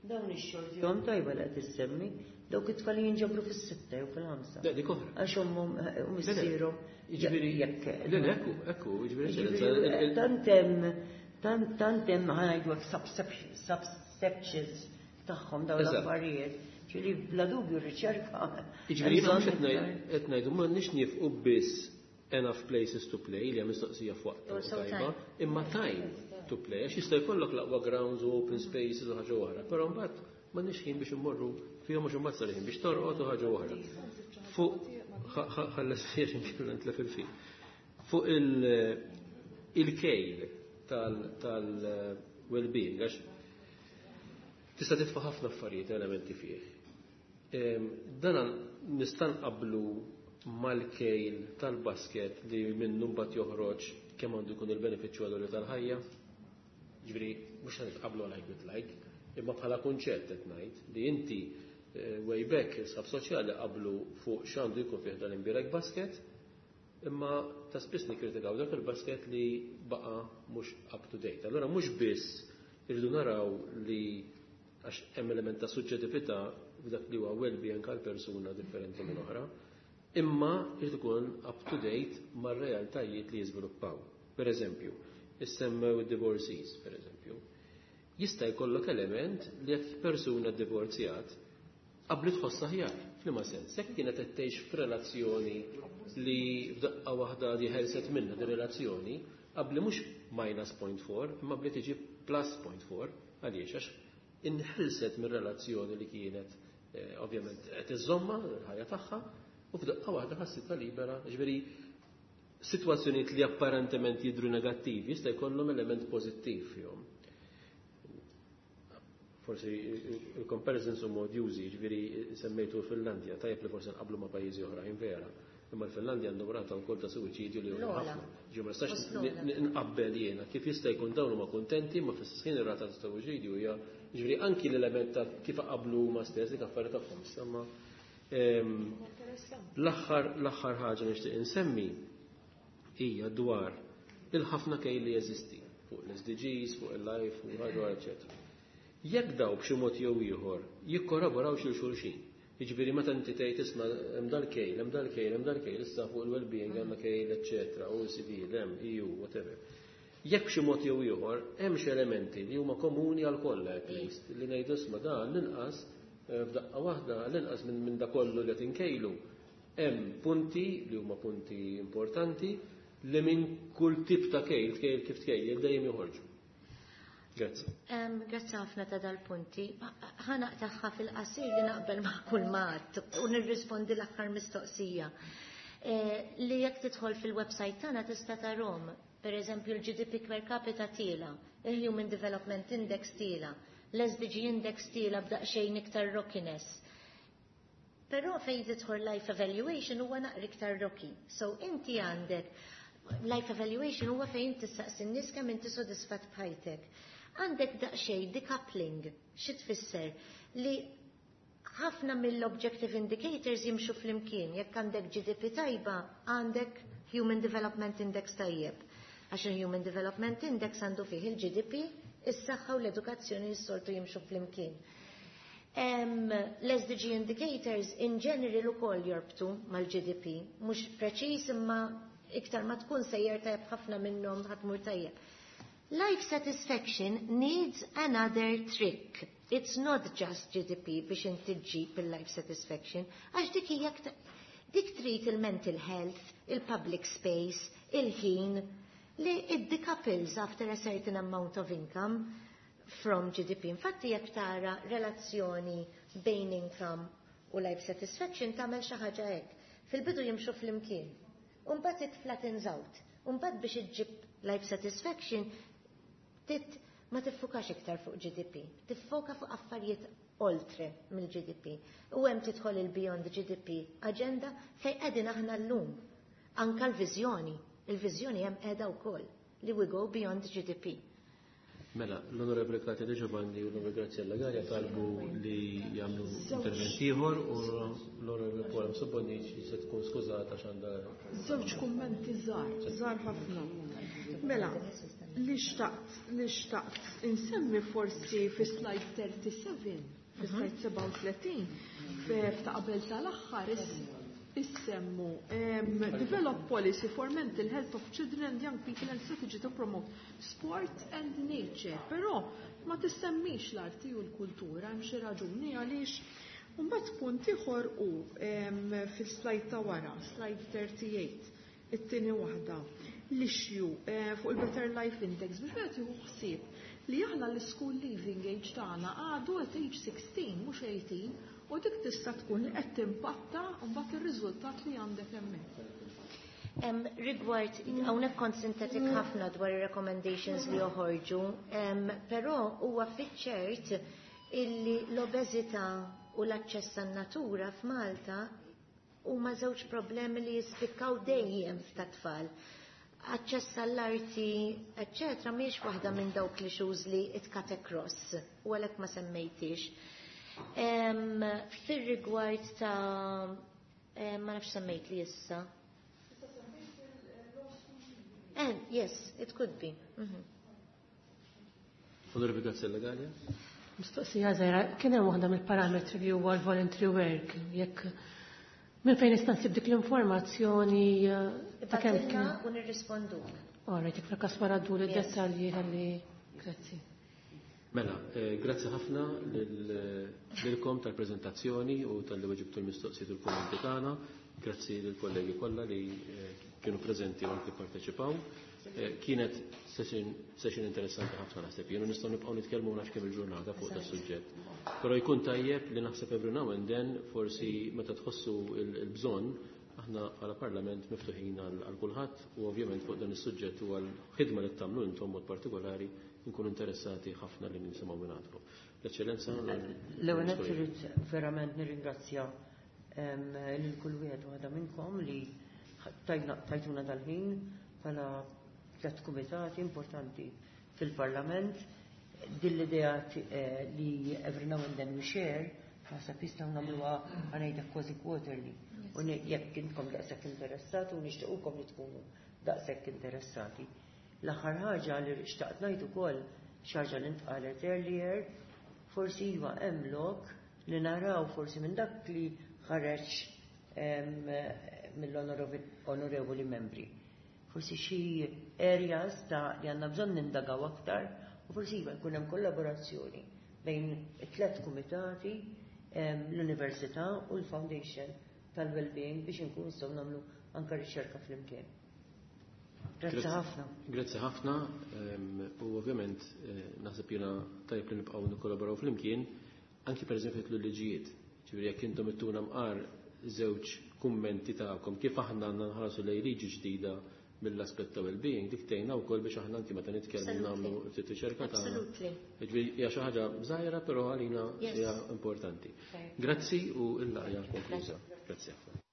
Dawn ix-xortihom tajba li qed issemmi, dawk it-tfal jinġabru fis-sitta jew fil-ħamsa. Le, dik oħra. Għax ommhom u missierhom. Jiġifieri jekk. Le, le, ekku, ekku, jiġifieri tant hemm, tant, tant hemm ħa ngħidu hekk subsections tagħhom dawn l-affarijiet. Ġifieri bla dubju riċerka. Jiġifieri jiena mhux qed ngħidu m'għandniex nifqu biss enough places to play li hemm mistoqsija f'waqtha tajba, imma time to play, għax jista' jkollok l-aqwa grounds u open spaces u ħaġa oħra, però mbagħad m'għandniex ħin biex immorru fihom għax imbagħad sar ħin biex torqod u ħaġa oħra. Fuq ħalles fiex inkella nitlef il-fil. Fuq il-kejl tal-well-being, għax tista' titfa' ħafna affarijiet elementi fih. Dan nista' nqabblu mal-kejl tal-basket li minnu mbagħad joħroġ kemm għandu jkun il-benefiċċju għal tal-ħajja. Ġifieri mhux qed nitqablu like with like, imma bħala kunċett qed ngħid li inti way back is-sab soċjali qablu fuq x'għandu jkun fih dan imbirek basket, imma ta' spiss nikkritikaw dak il-basket li baqa' mhux up to date. Allura mhux biss irridu naraw li għax hemm element ta' suġġettività f'dak li huwa well-being għal persuna differenti minn oħra, imma jrid ikun up to date mar-realtajiet li jiżviluppaw. Per eżempju, issemmew id-divorcees, per eżempju. Jista' jkollok element li jekk persuna divorzjat Qabli tħoss aħjar, f'liema sens, jekk kienet qed tgħix f'relazzjoni li f'daqqa waħda di ħelset minnha di relazzjoni, qabli mhux minus point four, imma qabli tiġi plus point four, għaliex għax inħelset mir-relazzjoni li kienet eh, ovvjament qed iżomma l-ħajja tagħha u f'daqqa waħda ħassitha libera, ġifieri sitwazzjonijiet li apparentement jidhru negattivi jista' jkollhom element pożittiv fihom. Forsi il-comparisons huma odjużi, ġifieri semmejtu l-Finlandja, tajjeb li forsi nqablu ma' pajjiżi oħrajn vera. Imma l-Finlandja għandhom rata wkoll ta' suwiċidju li huma ħafna. Ġi ma nistax nqabbel jiena kif jista' jkun dawn huma kuntenti ma fl-istess ħin ir-rata ta' suwiċidju hija ġifieri anki l-element ta' kif qablu huma stess dik affarijiet tagħhom. Imma l-aħħar l-aħħar ħaġa nixtieq insemmi hija dwar il-ħafna kejl li jeżisti fuq l-S D Gs, fuq il-life, fuq il-hardware, eċċetera. Jekk daw b'xi mod jew ieħor jikkollaboraw xi xulxin. Jiġifieri meta inti tgħid isma' hemm dal-kejl, hemm dal-kejl, hemm dal-kejl, issa fuq il-well-being għandna kejl, eċċetera, O E C D, l-M, E U, whatever. Jekk b'xi mod jew ieħor hemm xi elementi li huma komuni għal kollha at least li ngħidu isma' dan l-inqas f'daqqa waħda l-inqas minn, minn da kollu li qed inkejlu hemm punti li huma punti importanti li minn kull tip ta' kejl, tkejl kif tkejjel dejjem joħorġu. Grazzi. Um, grazzi ħafna ta' dal-punti. Ħa naqtagħha fil-qasir li naqbel ma' kull mat u nirrispondi l-aħħar mistoqsija. Eh, li jekk tidħol fil-website tagħna tista' tarhom, per eżempju l-G D P per capita tiela, il-Human Development Index tiela, l-S D G Index tiela b'daqsxejn iktar rockiness. Però fejn tidħol life evaluation huwa naqra iktar rocky. So inti għandek life evaluation huwa fejn tistaqsi n-nies kemm inti sodisfatt b'ħajtek. Għandek daqsxejn decoupling, xi tfisser li ħafna mill-objective indicators jimxu flimkien. Jekk għandek G D P tajba, għandek Human Development Index tajjeb. Għax il-Human Development Index għandu fih il-G D P, is-saħħa u l-edukazzjoni s-soltu jimxu flimkien. Em, L-S D G indicators in general ukoll jorbtu mal-G D P, mhux preċiż imma iktar ma tkun sejjer tajjeb ħafna minnhom ħatmur tajjeb. Life satisfaction needs another trick. It's not just G D P biex inti ġġib il-life satisfaction, għax dik hija aktar, dik trid il-mental health, il-public space, il-ħin, li it decouples after a certain amount of income from G D P. Infatti jekk tara relazzjoni bejn income u life satisfaction tagħmel xi ħaġa hekk. Fil-bidu jimxu flimkien. U mbagħad it flattens out. U mbagħad biex iġġib life satisfaction tit ma tiffukax iktar fuq G D P, tiffoka fuq affarijiet oltre mill-G D P. U hemm tidħol il-Beyond G D P agenda fejn qegħdin aħna llum. Anka l-viżjoni, il-viżjoni hemm qiegħda wkoll li we go beyond G D P. Mela, l-Onorevole Katia De Giovanni u l-Onorevole Graziella Galea talbu li jagħmlu intervent ieħor u l-Onorevole Paula Mifsud Bonnici se tkun skużata għax għandha Żewġ kummenti żgħar, żgħar ħafna. Mela, li xtaqt, li xtaqt insemmi forsi fi slide thirty-seven, fi slide sebgħa u tletin, f'ta' qabel tal-aħħar issemmu, em, develop policy for mental health of children and young people and strategy to promote sport and nature. Però ma tissemmix l-arti u l-kultura, hemm xi raġuni għaliex. Mbagħad punt ieħor hu, em, fis-slide ta' wara, slide thirty-eight, it-tieni waħda, l-issue, eh, fuq il-Better Life Index biex wieħed jieħu ħsieb li aħna l-school leaving age tagħna għadu at age sixteen mhux eighteen, u dik tista' tkun li qed timpatta mbagħad ir-riżultat li għandek hemmhekk. Em, rigward, hawnhekk kont sintetik ħafna dwar ir-recommendations li joħorġu, em, però huwa fiċ-ċert illi l-obeżità u l-aċċess għan-natura f'Malta huma żewġ problemi li jispikkaw dejjem f'tat-tfal. Aċċess għall-arti, eċċetera, mhijiex waħda minn dawk li issues li it cut across, u għalhekk ma semmejtix. Em, fir-rigward ta' em, ma nafx semmejt li issa. Eh, yes, it could be. Mm-hmm. Onorevole Graziella Galea. Mistoqsija żgħira, kien hemm waħda mill-parametri li huwa l-voluntary work, jekk minn fejn nista' nsib dik l-informazzjoni, eh, ta' kemm Ibatilna kien u nirrisponduk. All right, jekk fil-każ wara ddur Yes. id-dettalji ħalli grazzi. Mela, eh, grazzi ħafna lilkom tal-preżentazzjoni u talli weġibtu l-mistoqsijiet u l-kummenti tagħna. Grazzi lill-kollegi kollha li eh, kienu preżenti u anki parteċipaw. Eh, kienet session, session interessanti ħafna naħseb. Jienu nistgħu nibqgħu nitkellmu nafx kemm il-ġurnata fuq da suġġett. Però jkun tajjeb li naħseb every now and then forsi meta tħossu il-bżonn aħna bħala parlament miftuħin għal kulħadd u ovvjament fuq dan is-suġġett u għal ħidma li tagħmlu intom mod partikolari nkunu interessati ħafna li nisimgħu minn għandkom. L-Eċċellenza. L-ewwel nett irrid verament nirringrazzja lil kull wieħed u waħda minnkom li tajtuna dal-ħin bħala tliet kumitati importanti fil-Parlament. Din l-idea eh, li every now and then we share, naħseb jistgħu nagħmluha ħa ngħidlek kważi quarterly. U jekk intkom daqshekk interessati u nixtiequkom li tkunu daqshekk interessati. L-aħħar ħaġa li xtaqt ngħid ukoll xi ħaġa li ntqalet earlier, forsi iva hemm lok li naraw forsi minn dak li ħareġ mill-onorevoli membri. Forsi xi areas ta' li għandna bżonn nindagaw aktar u forsi iva jkun hemm kollaborazzjoni bejn it-tlet kumitati, l-Università u l-Foundation tal-Wellbeing biex inkunu nistgħu nagħmlu anke riċerka flimkien. Grazzi ħafna. Grazzi ħafna u ovvjament eh, naħseb jiena tajjeb li nibqgħu nikkollaboraw flimkien anki pereżempju l-liġijiet. Ġifieri jekk intom ittuna mqar żewġ kummenti tagħkom kif aħna għandna nħarsu lejn liġi ġdida mill-aspett ta' well-being, dik tgħinna wkoll biex aħna anki meta nitkellmu nagħmlu ftit riċerka tagħna. Ġifieri hija xi ħaġa żgħira però għalina hija importanti. Grazzi u l-laqgħa konkluża. Grazzi ħafna.